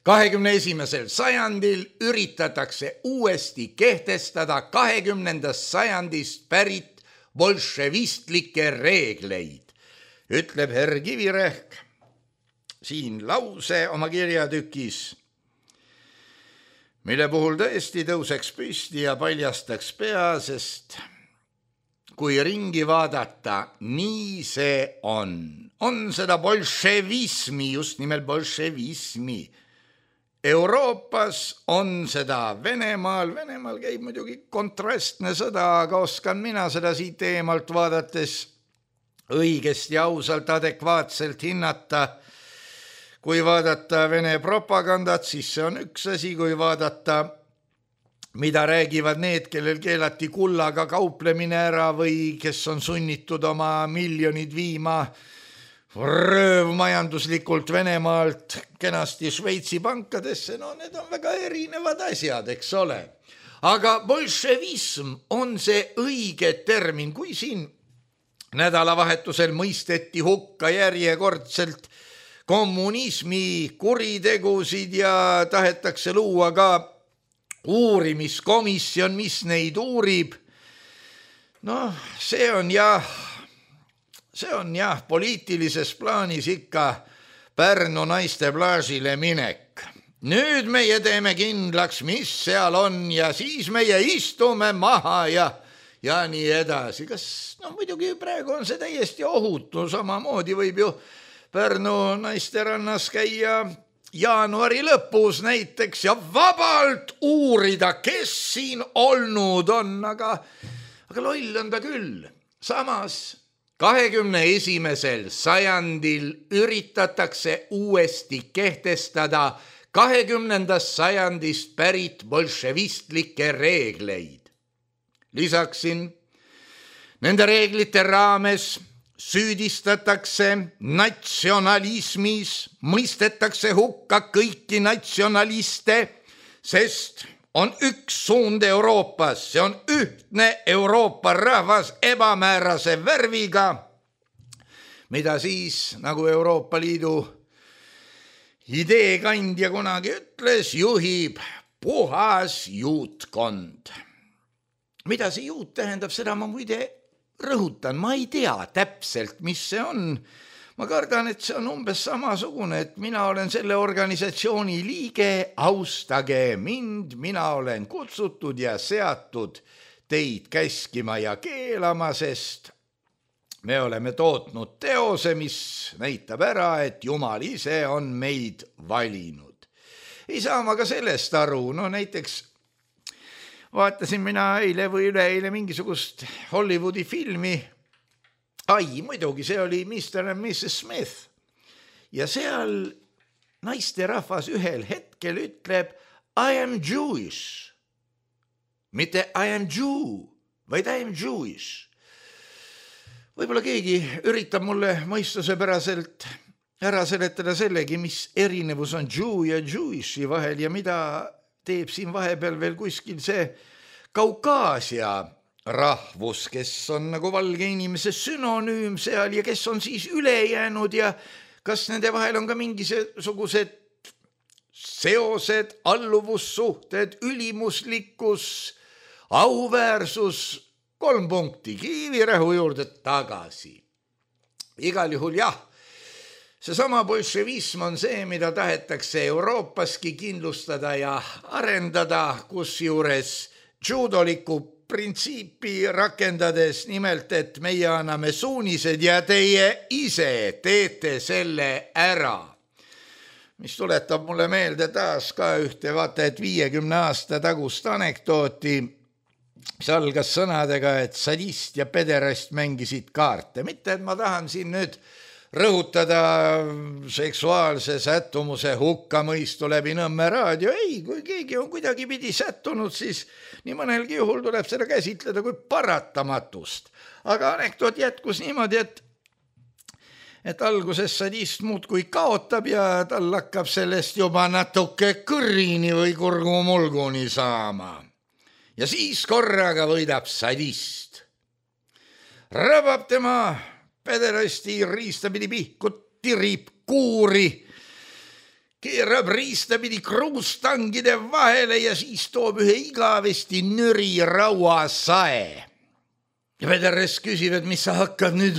Speaker 3: 21. sajandil üritatakse uuesti kehtestada 20. sajandist pärit bolševistlikke reegleid, ütleb herr Kivirähk siin lause oma kirjatükis, mille puhul tõesti tõuseks püsti ja paljastaks pea, sest kui ringi vaadata, nii see on. On seda bolševismi, just nimelt bolševismi. Euroopas on seda Venemaal käib muidugi kontrastne sõda, aga oskan mina seda siit eemalt vaadates õigesti, ausalt, adekvaatselt hinnata. Kui vaadata Vene propagandat, siis see on üks asi, kui vaadata, mida räägivad need, kellel keelati kullaga kauplemine ära või kes on sunnitud oma miljonid viima röövmajanduslikult Venemaalt kenasti Šveitsi pankadesse, no need on väga erinevad asjad, eks ole. Aga bolševism on see õige termin, kui siin nädalavahetusel mõisteti hukka järjekordselt kommunismi kuritegusid ja tahetakse luua ka uurimiskomisjon, mis neid uurib, Noh, see on jah poliitilises plaanis ikka Pärnu naiste plaasile minek. Nüüd meie teeme kindlaks, mis seal on ja siis meie istume maha ja nii edasi. Kas, muidugi praegu on see täiesti ohutu, samamoodi võib ju Pärnu naisterannas käia jaanuari lõpus näiteks ja vabalt uurida, kes siin olnud on, aga loll on ta küll. Samas 21. sajandil üritatakse uuesti kehtestada 20. sajandist pärit bolševistlikke reegleid. Lisaksin, nende reeglite raames süüdistatakse natsionalismis, mõistetakse hukka kõiki natsionaliste, sest on üks suund Euroopas, see on ühtne Euroopa rahvas ebamäärase värviga, mida siis, nagu Euroopa Liidu ideekandja kunagi ütles, juhib puhas juutkond. Mida see juut tähendab, seda ma muide rõhutan, ma ei tea täpselt, mis see on. Ma kardan, et see on umbes samasugune, et mina olen selle organisatsiooni liige, austage mind, mina olen kutsutud ja seatud teid käskima ja keelama, sest me oleme tootnud teose, mis näitab ära, et Jumal ise on meid valinud. Ei saa ma ka sellest aru, näiteks vaatasin mina eile või üleeile mingisugust Hollywoodi filmi. Muidugi, see oli Mr. and Mrs. Smith. Ja seal naisterahvas ühel hetkel ütleb I am Jewish. Mitte I am Jew, vaid I am Jewish. Võib-olla keegi üritab mulle mõistusepäraselt ära seletada sellegi, mis erinevus on Jew ja Jewishi vahel ja mida teeb siin vahepeal veel kuskil see Kaukaasia rahvus, kes on nagu valge inimese sünonüüm seal ja kes on siis üle jäänud ja kas nende vahel on ka mingisugused seosed, alluvussuhted, ülimuslikkus, auväärsus, 3 punkti, kiivirähu juurde tagasi. Igal juhul jah, seesama bolševism on see, mida tahetakse Euroopaski kindlustada ja arendada, kusjuures judoliku printsiipi rakendades, nimelt, et meie anname suunised ja teie ise teete selle ära. Mis tuletab mulle meelde taas ka ühte vaata, et 50 aasta tagust anekdooti, mis algas sõnadega, et sadist ja pederast mängisid kaarte. Mitte, et ma tahan siin nüüd rõhutada seksuaalse sättumuse hukkamõistu läbi Nõmme raadio. Ei, kui keegi on kuidagi pidi sättunud, siis nii mõnelgi juhul tuleb seda käsitleda kui paratamatust. Aga anekdoot jätkus niimoodi, et alguses sadist muudkui kaotab ja tal hakkab sellest juba natuke kõrini või kurgumulguni saama. Ja siis korraga võidab sadist. Rabab tema pederasti riistapidi pihkut, tirib kuuri, keerab riistapidi kruustangide vahele ja siis toob ühe igavesti nüri rauasae. Ja pederast küsib, et mis sa hakkad nüüd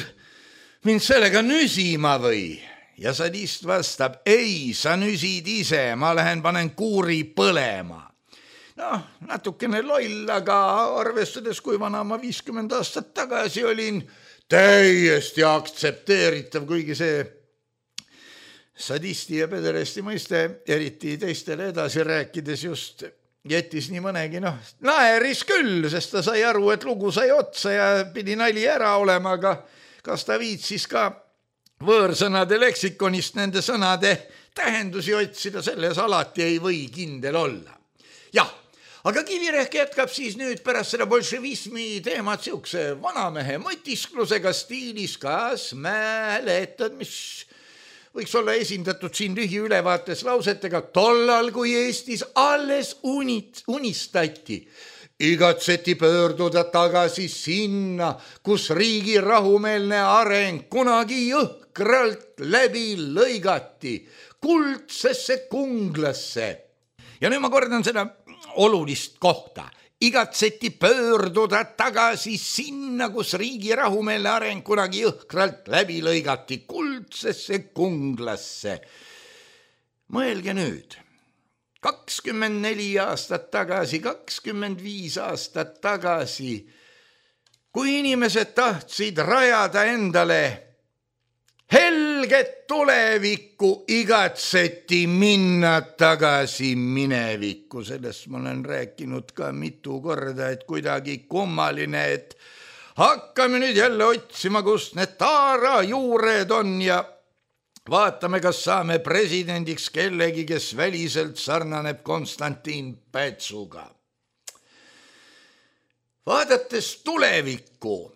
Speaker 3: mind sellega nüsima või? Ja sadist vastab, ei, sa nüsid ise, ma lähen panen kuuri põlema. Natukene loll, aga arvestades, kui vana ma 50 aastat tagasi olin, täiesti aktsepteeritav, kuigi see sadisti ja pederasti mõiste, eriti teistele edasi rääkides just jättis nii mõnegi, naeris küll, sest ta sai aru, et lugu sai otsa ja pidi nali ära olema, aga kas ta viitsis ka võõrsõnade leksikonist nende sõnade tähendusi otsida, selles alati ei või kindel olla. Jah, aga Kivirehk jätkab siis nüüd pärast seda bolševismi teemat siukse vanamehe mõtisklusega stiilis, kas mäletad, mis võiks olla esindatud siin lühiülevaates lausetega tollal, kui Eestis alles unistati. Igatseti pöörduda tagasi sinna, kus riigi rahumeelne areng kunagi jõhkralt läbi lõigati, kuldsesse kunglasse. Ja nüüd ma kordan seda olulist kohta. igatseti pöörduda tagasi sinna, kus riigi rahumeelne areng kunagi jõhkralt läbi lõigati kuldsesse kunglasse. Mõelge nüüd, 24 aastat tagasi, 25 aastat tagasi, kui inimesed tahtsid rajada endale helget tulevikku, igatseti minna tagasi minevikku. Sellest ma olen rääkinud ka mitu korda, et kuidagi kummaline, et hakkame nüüd jälle otsima, kus need taarajuured on ja vaatame, kas saame presidendiks kellegi, kes väliselt sarnaneb Konstantin Pätsuga. Vaadates tulevikku,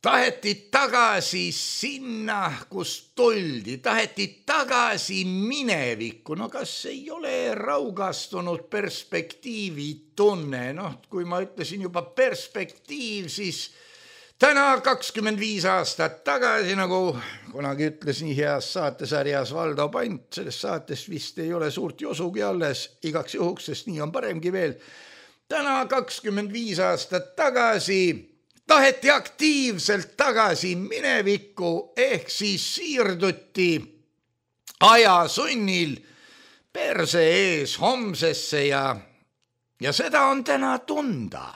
Speaker 3: taheti tagasi sinna, kus tuldi, taheti tagasi minevikku. No kas ei ole raugastunud perspektiivitunne? Kui ma ütlesin juba perspektiiv, siis täna 25 aastat tagasi, nagu kunagi ütles nii heas saatesarjas Valdo Pant, sellest saatest vist ei ole suurt josugi alles, igaks juhuks, sest nii on paremgi veel. Täna 25 aastat tagasi taheti aktiivselt tagasi minevikku, ehk siis siirduti ajasunnil perse ees homsesse ja seda on täna tunda.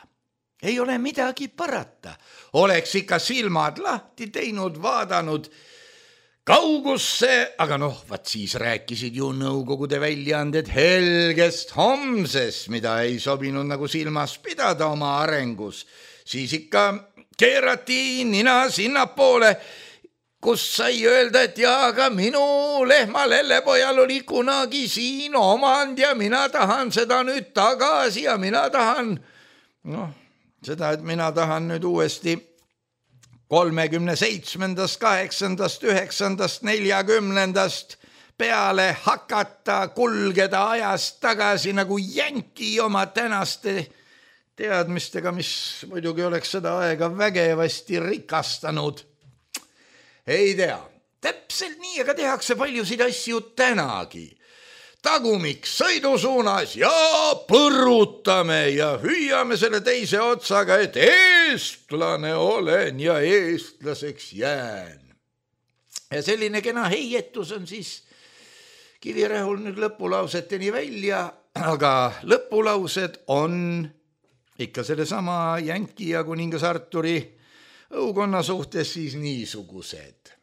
Speaker 3: Ei ole midagi parata. Oleks ikka silmad lahti teinud, vaadanud kaugusse, aga vaat siis rääkisid ju nõukogude väljaanded helgest homsest, mida ei sobinud nagu silmas pidada oma arengus. Siis ikka keerati nina sinnapoole, kus sai öelda, et aga minu lehma lellepojal oli kunagi siin omand ja mina tahan seda nüüd tagasi ja mina tahan, seda, et mina tahan nüüd uuesti 37., 8., 9., 40. peale hakata, kulgeda ajast tagasi nagu jänki oma tänaste teadmistega, mis muidugi oleks seda aega vägevasti rikastanud. Ei tea, täpselt nii, aga tehakse paljusid asju tänagi. Tagumik sõidusuunas ja põrutame ja hüüame selle teise otsaga, et eestlane olen ja eestlaseks jään. Ja selline kena heietus on siis Kivirehul nüüd lõpulauseteni välja, aga lõpulaused on ikka selle sama Jänki ja kuningas Arturi õukonna suhtes siis niisugused.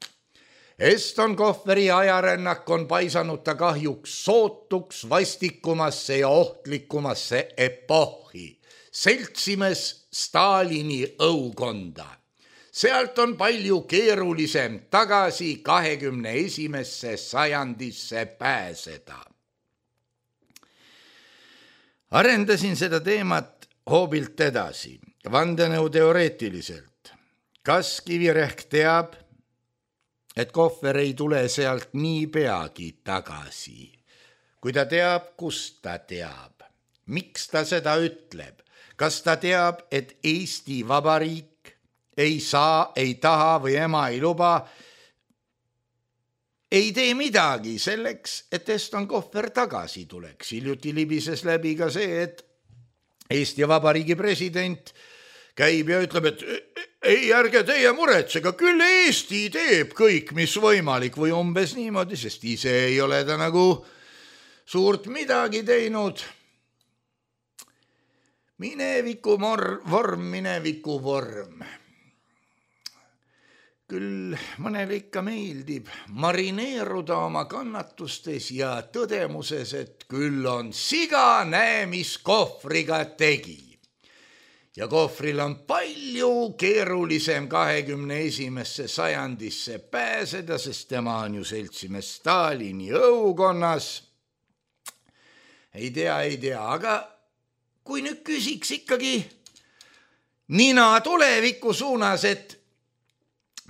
Speaker 3: Eston Kohveri ajarännak on paisanud ta kahjuks sootuks, vastikumasse ja ohtlikumasse epohhi. Seltsimees Stalini õukonda. Sealt on palju keerulisem tagasi 21. sajandisse pääseda. Arendasin seda teemat hoobilt edasi, vandenõuteoreetiliselt. Kas Kivirähk teab, et Kohver ei tule sealt nii peagi tagasi? Kui ta teab, kust ta teab? Miks ta seda ütleb? Kas ta teab, et Eesti Vabariik ei saa, ei taha või ema ei luba, ei tee midagi selleks, et Eston Kohver tagasi tuleks? Hiljuti libises läbi ka see, et Eesti Vabariigi president käib ja ütleb, et ei, ärge teie muretsega, küll Eesti teeb kõik, mis võimalik või umbes niimoodi, sest ise ei ole ta nagu suurt midagi teinud. Mineviku vorm. Küll mõnele ikka meeldib marineeruda oma kannatustes ja tõdemuses, et küll on siga, näe, mis Kohvriga tegi. Ja Kohvril on palju keerulisem 21. sajandisse pääseda, sest tema on ju seltsimees Stalini õukonnas. Ei tea, aga kui nüüd küsiks ikkagi nina tuleviku suunas, et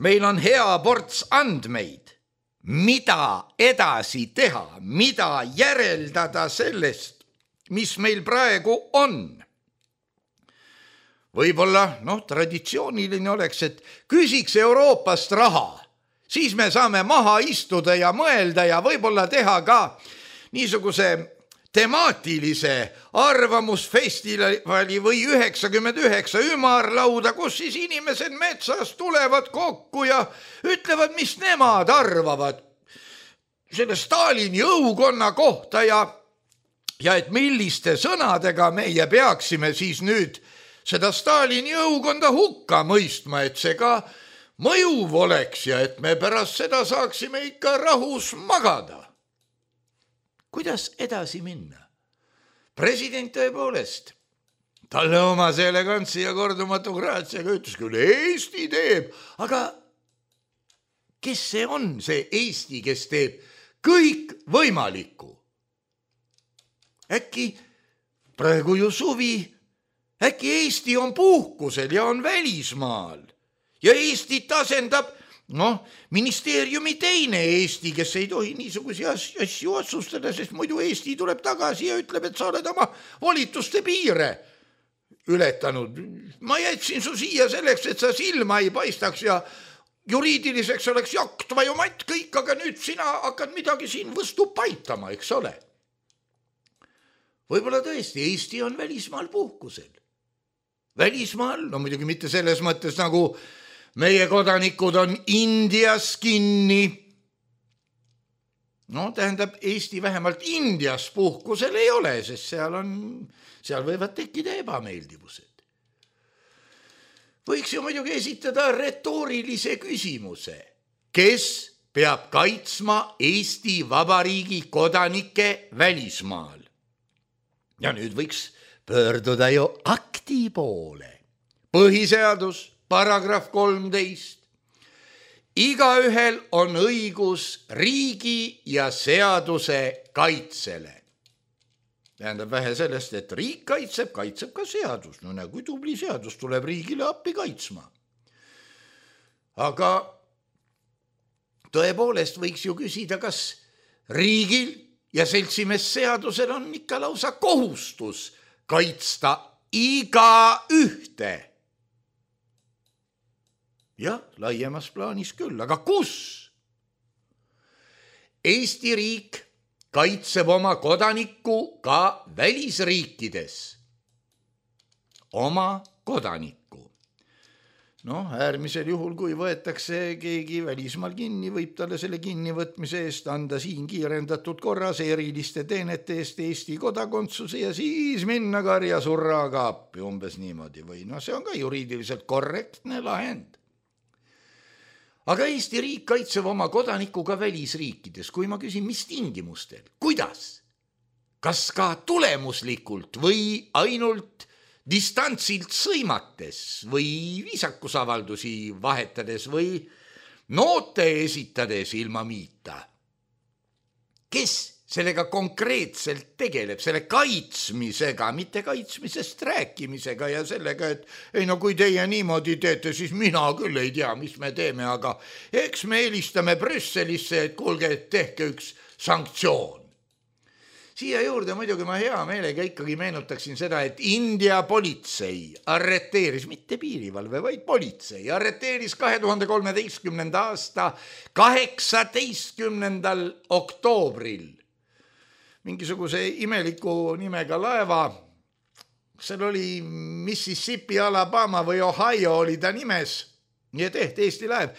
Speaker 3: meil on hea ports andmeid, mida edasi teha, mida järeldada sellest, mis meil praegu on. Võib-olla, traditsiooniline oleks, et küsiks Euroopast raha, siis me saame maha istuda ja mõelda ja võib-olla teha ka niisuguse temaatilise arvamusfestivali või 99 ümarlauda, kus siis inimesed metsast tulevad kokku ja ütlevad, mis nemad arvavad selle Stalini õukonna kohta ja et milliste sõnadega meie peaksime siis nüüd seda Stalini õukonda hukka mõistma, et see ka mõjuv oleks ja et me pärast seda saaksime ikka rahus magada. Kuidas edasi minna? President tõepoolest, talle omase elegantsi ja kordumatu graatsiaga ütles küll, Eesti teeb, aga kes see on see Eesti, kes teeb kõik võimalikku? Äkki praegu ju suvi, äkki Eesti on puhkusel ja on välismaal ja Eestit asendab ministeeriumi teine Eesti, kes ei tohi niisugusi asju otsustada, sest muidu Eesti tuleb tagasi ja ütleb, et sa oled oma volituste piire ületanud. Ma jätsin su siia selleks, et sa silma ei paistaks ja juriidiliseks oleks jaktva ju matt kõik, aga nüüd sina hakkad midagi siin võstu paitama, eks ole. Võib-olla tõesti Eesti on välismaal puhkusel. Välismaal, muidugi mitte selles mõttes nagu meie kodanikud on Indias kinni. Tähendab, Eesti vähemalt Indias puhkusel ei ole, sest seal võivad tekkida ebameeldivused. Võiks ju muidugi esitada retoorilise küsimuse. Kes peab kaitsma Eesti Vabariigi kodanike välismaal? Ja nüüd võiks pöörduda ju akti poole. Põhiseadus, paragrahv 13. Igaühel on õigus riigi ja seaduse kaitsele. Tähendab vähe sellest, et riik kaitseb ka seadus. Kui tubli seadus tuleb riigile appi kaitsma. Aga tõepoolest võiks ju küsida, kas riigil ja seltsimees seadusel on ikka lausa kohustus kaitsta iga ühte. Jah, laiemas plaanis küll, aga kus? Eesti riik kaitseb oma kodanikku ka välisriikides. Oma kodanikku. Äärmisel juhul, kui võetakse keegi välismaal kinni, võib talle selle kinnivõtmise eest anda siin kiirendatud korras eriliste teenete eest Eesti kodakondsuse ja siis minna karja surraga appi umbes niimoodi või see on ka juriidiliselt korrektne lahend. Aga Eesti riik kaitseb oma kodaniku ka välisriikides, kui ma küsin, mis tingimustel, kuidas, kas ka tulemuslikult või ainult distantsilt sõimates või viisakusavaldusi vahetades või noote esitades ilma miita. Kes sellega konkreetselt tegeleb, selle kaitsmisega, mitte kaitsmisest rääkimisega ja sellega, et kui teie niimoodi teete, siis mina küll ei tea, mis me teeme, aga eks me helistame Brüsselisse, et kuulge, tehke üks sanktsioon. Siia juurde muidugi ma hea meelega ikkagi meenutaksin seda, et India politsei arreteeris, mitte piirivalve, vaid politsei, arreteeris 2013. aasta 18. oktoobril mingisuguse imeliku nimega laeva. Seal oli Mississippi, Alabama või Ohio oli ta nimes, nii et Eesti laev.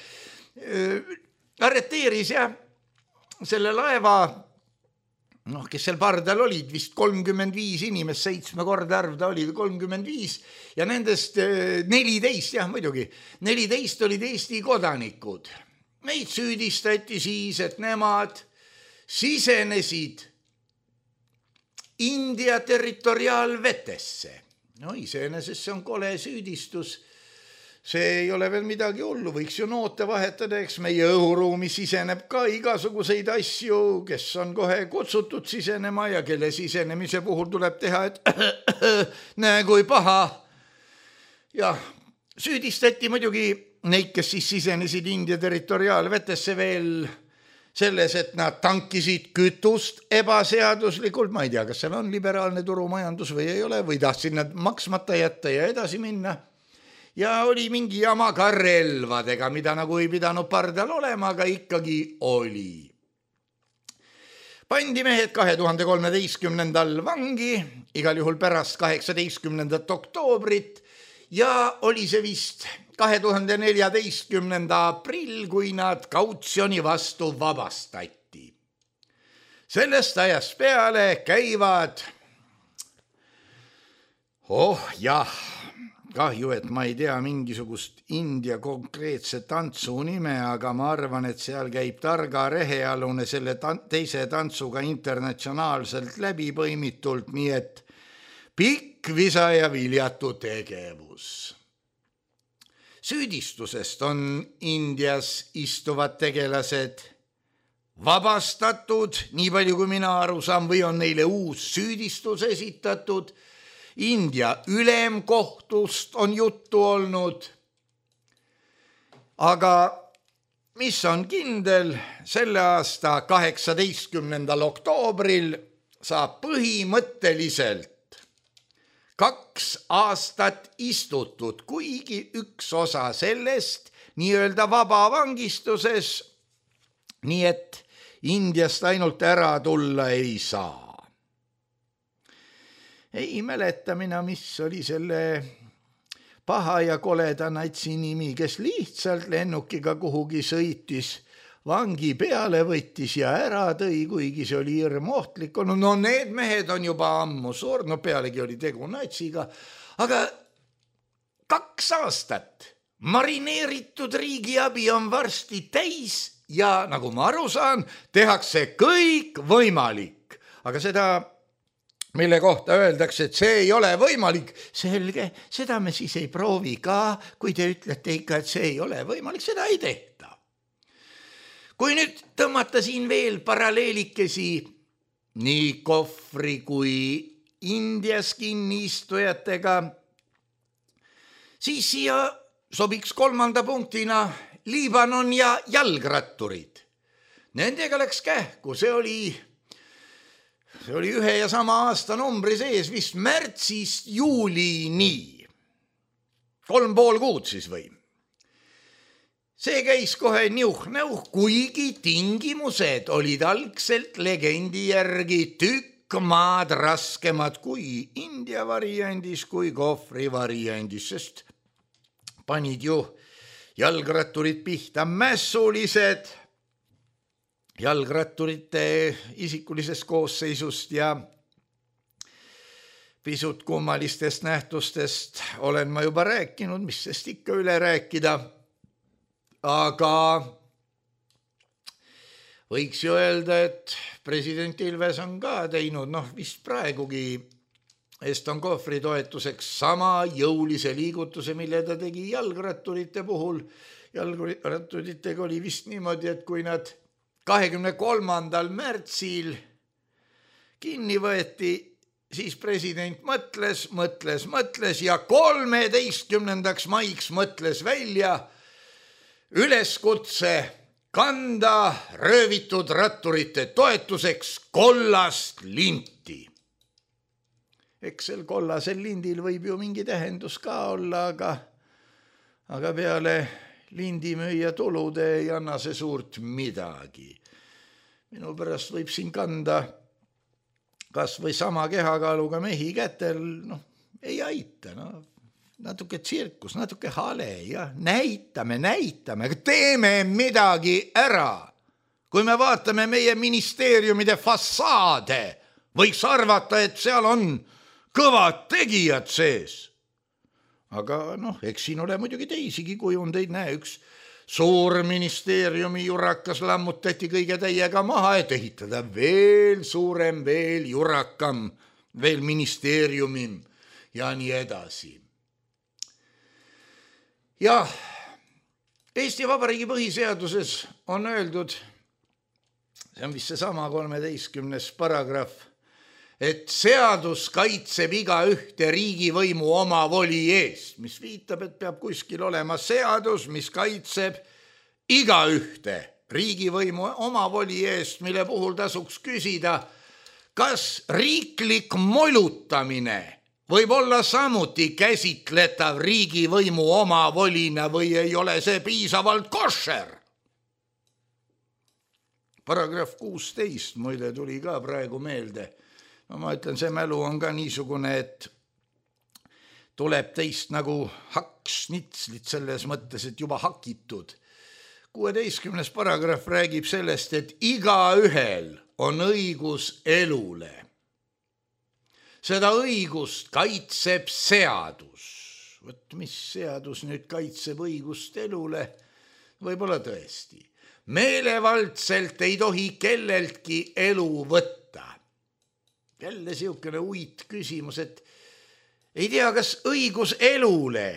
Speaker 3: Arreteeris selle laeva, kes seal pardal olid, vist 35 inimest, 7 korda arv ta oli 35 ja nendest 14, muidugi, 14 olid Eesti kodanikud. Meid süüdistati siis, et nemad sisenesid India territoriaalvetesse. Iseenesest see on kole süüdistus. See ei ole veel midagi hullu, võiks ju noote vahetada, eks meie õhuruumi siseneb ka igasuguseid asju, kes on kohe kutsutud sisenema ja kelle sisenemise puhul tuleb teha, et näe kui paha. Ja süüdistati muidugi neid, kes siis sisenesid India territoriaalvetesse veel selles, et nad tankisid kütust ebaseaduslikult, ma ei tea, kas seal on liberaalne turumajandus või ei ole, või tahtsid nad maksmata jätta ja edasi minna. Ja oli mingi jama ka relvadega, mida nagu ei pidanud pardal olema, aga ikkagi oli. Pandi mehed 2013. vangi, igal juhul pärast 18. oktoobrit ja oli see vist 2014. aprill, kui nad kautsjoni vastu vabastati. Sellest ajast peale käivad, kahju, et ma ei tea mingisugust India konkreetse tantsu nime, aga ma arvan, et seal käib Targa rehealune selle teise tantsuga internatsionaalselt läbi põimitult, nii et pikk visa ja viljatu tegevus. Süüdistusest on Indias istuvad tegelased vabastatud, nii palju kui mina aru saan, või on neile uus süüdistus esitatud. India ülemkohtust on juttu olnud, aga mis on kindel, selle aasta 18. oktoobril saab põhimõtteliselt 2 aastat istutud, kuigi üks osa sellest nii-öelda vabavangistuses, nii et Indiast ainult ära tulla ei saa. Ei mäleta mina, mis oli selle paha ja koleda natsi nimi, kes lihtsalt lennukiga kuhugi sõitis, vangi peale võttis ja ära tõi, kuigi see oli hirmohtlik. No need mehed on juba ammu surnud, pealegi oli tegu natsiga, aga 2 aastat marineeritud riigiabi on varsti täis ja nagu ma aru saan, tehakse kõik võimalik, aga seda mille kohta öeldakse, et see ei ole võimalik. Selge, seda me siis ei proovi ka, kui te ütlete ikka, et see ei ole võimalik, seda ei tehta. Kui nüüd tõmmata siin veel paralleelikesi nii Kohvri kui Indias kinniistujatega, siis siia sobiks 3. punktina Liibanon ja jalgratturid. Nendega läks kähku, see oli ühe ja sama aasta numbri sees vist märtsist juulini. 3,5 kuud siis või. See käis kohe niuh-näuh, kuigi tingimused olid algselt legendi järgi tükk maad raskemad kui India variandis, kui Kohvri variandis, sest panid ju jalgratturid pihta mässulised, jalgratturite isikulisest koosseisust ja pisut kummalistest nähtustest olen ma juba rääkinud, mis sest ikka üle rääkida, aga võiks ju öelda, et president Ilves on ka teinud, vist praegugi Eston Kohvri toetuseks sama jõulise liigutuse, mille ta tegi jalgratturite puhul. Jalgratturitega oli vist niimoodi, et kui nad 23. märtsil kinni võeti, siis president mõtles ja 13. maiks mõtles välja üleskutse kanda röövitud ratturite toetuseks kollast linti. Eks sel kollasel lindil võib ju mingi tähendus ka olla, aga peale lindimüüja tulude ei anna see suurt midagi. Minu pärast võib siin kanda kas või sama kehakaaluga mehi kätel, ei aita, natuke tsirkus, natuke hale ja näitame, aga teeme midagi ära. Kui me vaatame meie ministeeriumide fassaade, võiks arvata, et seal on kõvad tegijad sees. Aga eks siin ole muidugi teisigi kujundeid, näe, üks suur ministeeriumi jurakas lammutati kõige täiega maha, et ehitada veel suurem, veel jurakam, veel ministeeriumim ja nii edasi. Jah, Eesti Vabariigi põhiseaduses on öeldud, see on vist seesama 13. paragrahv, et seadus kaitseb iga ühte riigivõimu omavoli eest, mis viitab, et peab kuskil olema seadus, mis kaitseb iga ühte riigivõimu omavoli eest, mille puhul tasuks küsida, kas riiklik molutamine võib olla samuti käsitletav riigivõimu omavolina või ei ole see piisavalt koššer. paragrahv 16 muide tuli ka praegu meelde. No ma ütlen, see mälu on ka niisugune, et tuleb teist nagu hakkšnitslit selles mõttes, et juba hakitud. 16. paragrahv räägib sellest, et igaühel on õigus elule. Seda õigust kaitseb seadus. Võt, mis seadus nüüd kaitseb õigust elule? Võib-olla tõesti. Meelevaldselt ei tohi kelleltki elu võtta. Jälle siukene uit küsimus, et ei tea, kas õigus elule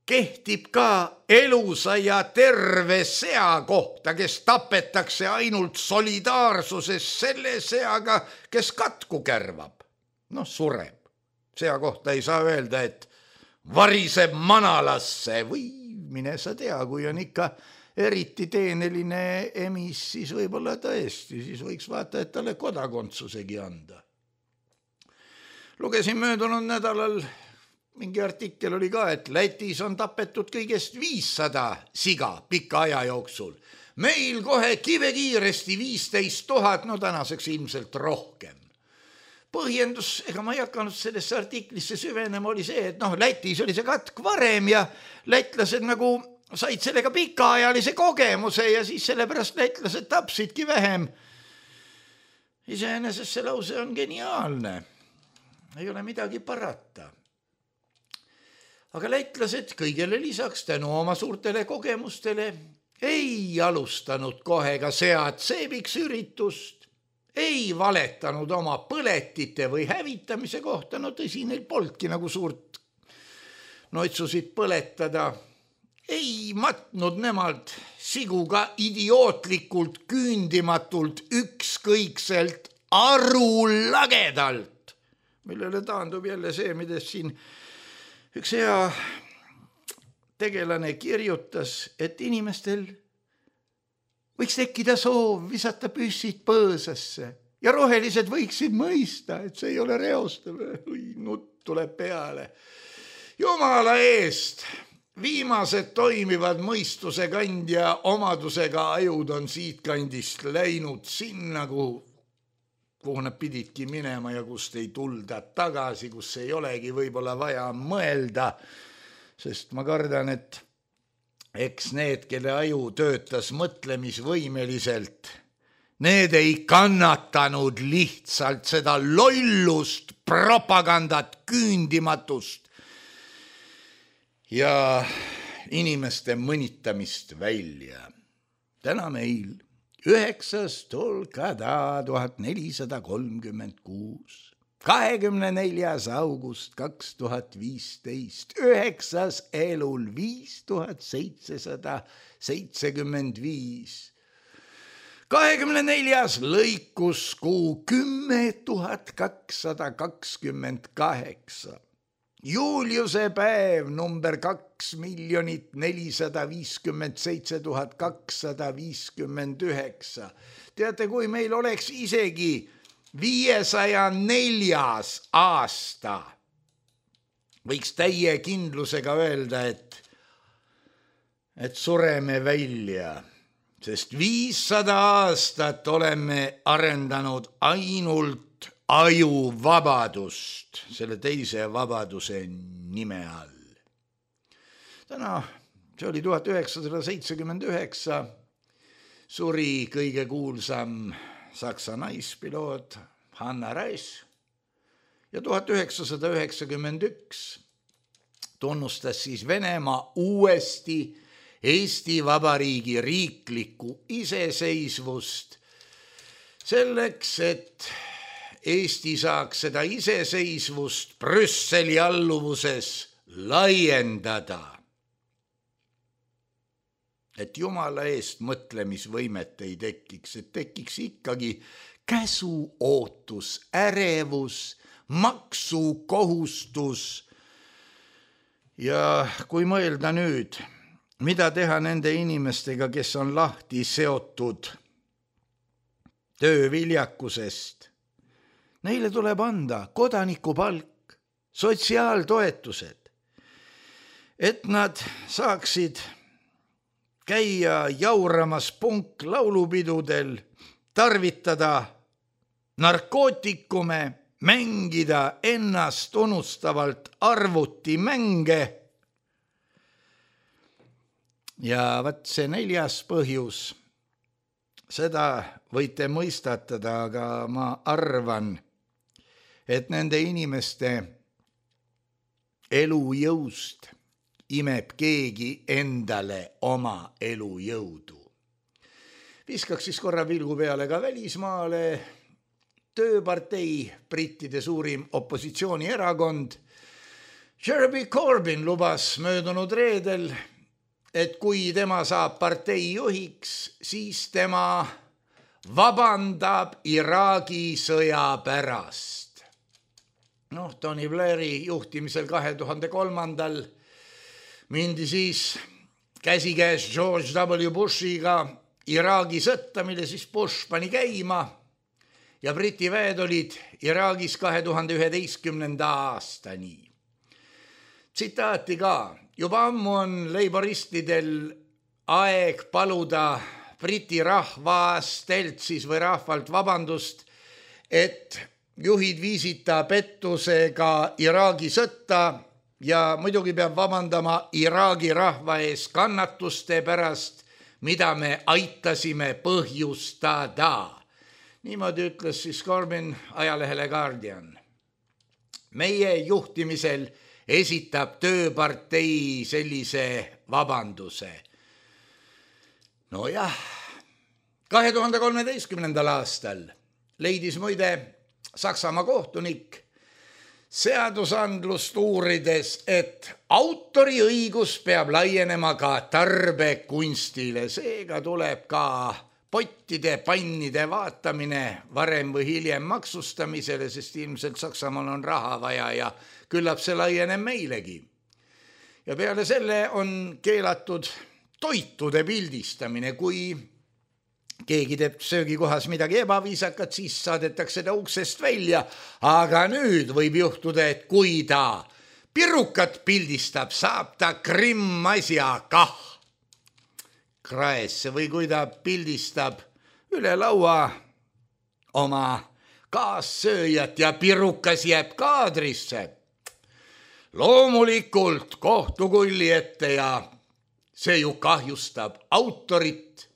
Speaker 3: kehtib ka elusa ja terve sea kohta, kes tapetakse ainult solidaarsuses selle seaga, kes katku kärvab. Noh, sureb. Sea kohta ei saa öelda, et variseb manalasse või mine sa tea, kui on ikka eriti teeneline emis, siis võib-olla tõesti, siis võiks vaata, et talle kodakondsusegi anda. Lugesin möödunud nädalal, mingi artikkel oli ka, et Lätis on tapetud kõigest 500 siga pika aja jooksul. Meil kohe kivekiiresti 15 000, no tänaseks ilmselt rohkem. Põhjendus, ega ma ei hakanud sellesse artiklisse süvenema, oli see, et Lätis oli see katk varem ja lätlased nagu said sellega pikaajalise kogemuse ja siis sellepärast lätlased tapsidki vähem. Iseenesest see lause on geniaalne. Ei ole midagi parata. Aga lätlased kõigele lisaks tänu oma suurtele kogemustele ei alustanud kohe ka seatseibiks üritust, ei valetanud oma põletite või hävitamise kohta, no tõsi, neil polnudki nagu suurt noitsusid põletada, ei matnud nemad siguga idiootlikult, küündimatult, ükskõikselt, arulagedalt, millele taandub jälle see, mida siin üks hea tegelane kirjutas, et inimestel võiks tekkida soov visata püssid põõsasse ja rohelised võiksid mõista, et see ei ole reostav. Nutt tuleb peale. Jumala eest, viimased toimivad mõistuse kandja omadusega ajud on siit kandist läinud sinna, kuhu nad pididki minema ja kust ei tulda tagasi, kus ei olegi võib-olla vaja mõelda, sest ma kardan, et eks need, kelle aju töötas mõtlemisvõimeliselt, need ei kannatanud lihtsalt seda lollust, propagandat, küündimatust ja inimeste mõnitamist välja. Täna meil 9. tolkada 1436, 24. august 2015, 9. elul 5775, 24. lõikuskuu 10,228, Juliuse päev number 2,457,259. Teate, kui meil oleks isegi 504. aasta, võiks täie kindlusega öelda, et sureme välja, sest 500 aastat oleme arendanud ainult ajuvabadust selle teise vabaduse nime all. Täna, see oli 1979, suri kõige kuulsam Saksa naispiloot Hanna Reis ja 1991 tunnustas siis Venemaa uuesti Eesti Vabariigi riiklikku iseseisvust selleks, et Eesti saaks seda iseseisvust Brüsseli alluvuses laiendada. Et Jumala eest mõtlemisvõimet ei tekiks, et tekiks ikkagi käsuootus, ärevus, maksukohustus. Ja kui mõelda nüüd, mida teha nende inimestega, kes on lahti seotud tööviljakusest, neile tuleb anda kodanikupalk, sotsiaaltoetused, et nad saaksid käia jauramas punklaulupidudel, tarvitada narkootikume, mängida ennast unustavalt arvutimänge. Ja vaat see 4. põhjus, seda võite mõistatada, aga ma arvan, et nende inimeste elujõust imeb keegi endale oma elujõudu. Viskaks siis korra pilgu peale ka välismaale. Tööpartei, brittide suurim opositsioonierakond, Jeremy Corbyn lubas möödunud reedel, et kui tema saab partei juhiks, siis tema vabandab Iraagi sõja pärast. Tony Blairi juhtimisel 2003. mindi siis käsikäes George W. Bushiga Iraagi sõtta, mille siis Bush pani käima ja Briti väed olid Iraagis 2011. aastani. Tsitaati ka, juba ammu on leiboristidel aeg paluda Briti rahvastelt siis või rahvalt vabandust, et juhid viisid ta pettusega Iraagi sõtta ja muidugi peab vabandama Iraagi rahva ees kannatuste pärast, mida me aitasime põhjustada. Niimoodi ütles siis Corbyn ajalehele Guardian. Meie juhtimisel esitab tööpartei sellise vabanduse. Nojah, 2013. aastal leidis muide Saksamaa kohtunik seadusandlust uurides, et autoriõigus peab laienema ka tarbekunstile. Seega tuleb ka pottide, pannide vaatamine varem või hiljem maksustamisele, sest ilmselt Saksamaal on raha vaja ja küllap see laieneb meilegi. Ja peale selle on keelatud toitude pildistamine. Kui keegi teeb söögikohas midagi ebaviisakat, siis saadetakse ta uksest välja. Aga nüüd võib juhtuda, et kui ta pirukat pildistab, saab ta krimmasja kah kraesse või kui ta pildistab üle laua oma kaassööjat ja pirukas jääb kaadrisse. Loomulikult kohtukulli ette ja see ju kahjustab autorit,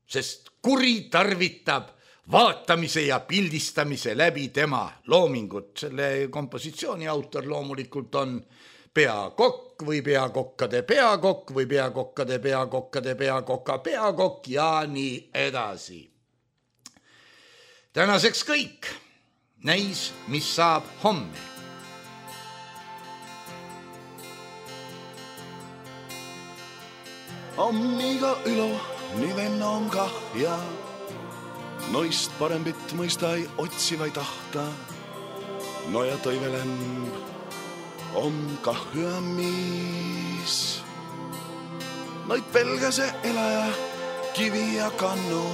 Speaker 3: sest kuri tarvitab vaatamise ja pildistamise läbi tema loomingut. Selle kompositsiooni autor loomulikult on peakokk või peakokkade peakokk või peakokkade peakokkade peakoka peakokk ja nii edasi. Tänaseks kõik. Näis, mis saab homme.
Speaker 4: Ammiga ülo, nii venna on kah ja noist parembit mõista ei otsi vai tahta. No ja toivelemb on kah hüa mis. Noid pelgase elaja kivi ja kannu.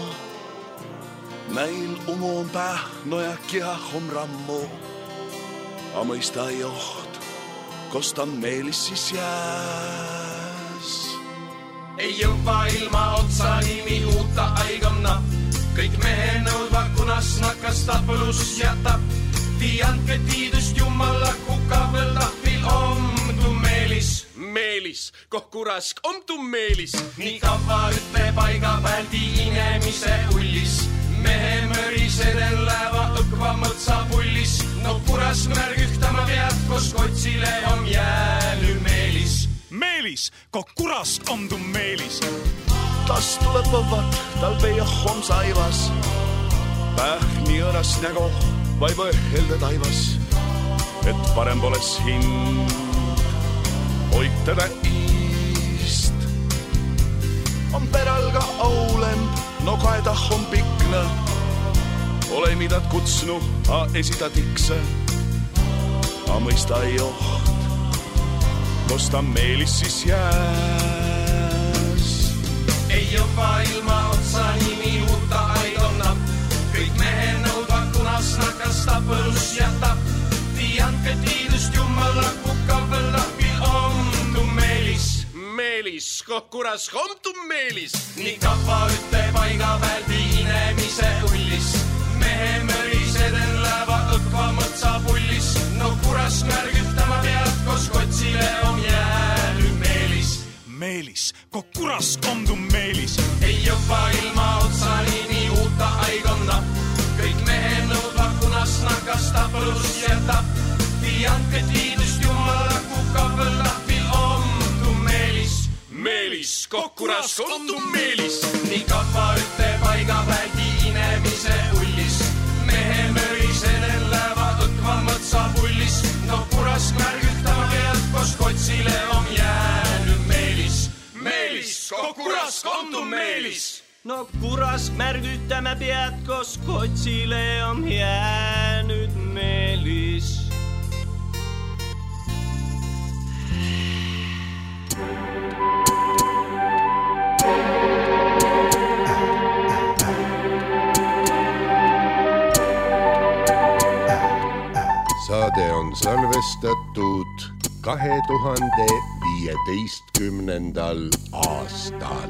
Speaker 4: Näil umu on päh, no ja kihah on rammu. A mõista ei oht, kosta meelis siis jääs.
Speaker 5: Ei jõva ilma otsa nimi uutta aigamna. Kõik mehe nõudva kunas nakas tapelus jätab. Tianke tiidust jumala kukavel tahvil omdu meelis.
Speaker 6: Meelis, koh kurask omdu meelis.
Speaker 5: Nii kava ütle paiga väldi inemise ullis. Mehe möriseden läeva õkva mõtsa pullis. No kuras märgühtama pead, kos kotsile on jääly meelis.
Speaker 6: Meelis, koh kurask omdu meelis.
Speaker 4: Tas tuleb võvat, tal peia on saivas. Päh nii õras nägo, vai põhelde taivas. Et parem poles hind, hoid teda iist. On peral ka aulemb, no kaeda on pikna. Ole midad kutsnu, a esita tikse. A mõista ei oht, kosta meelis siis jääs.
Speaker 5: Ei jõva ilma otsa nimi uutta aidonna. Kõik mehe nõudva kunas nakas tapelus jätab. Tianke tiidust jumala kukavel tahvil omdu meelis.
Speaker 6: Meelis, koh kuras omtu Meelis.
Speaker 5: Nii kappa ütte paiga peal piinemise ullis. Mehe mörisedel läheva õkva mõtsa pullis. No kuras märgütama pead, kos kotsile on jäänyt Meelis.
Speaker 6: Meelis, koh kuras omtu Meelis.
Speaker 5: Ei jopa ilma otsani nii uutta aikonna. Kõik mehe nõudva kunas nakasta plus jätab. Tianke tiidust jumala kukabel lahvil omtu Meelis.
Speaker 6: Meelis, koh kuras omtu Meelis.
Speaker 5: Nii kappa ütte paiga peal tiinemise ullis. Mehe mörisedel läheva õkva mõtsa pullis. No kuras märgütama pead, kos kotsile on jäänyt Meelis.
Speaker 6: Meelis, koh kuras omtu Meelis.
Speaker 7: No kuras märgütame pead, kos kotsile on jäänyt Meelis.
Speaker 8: Saade on salvestatud 2015. aastal.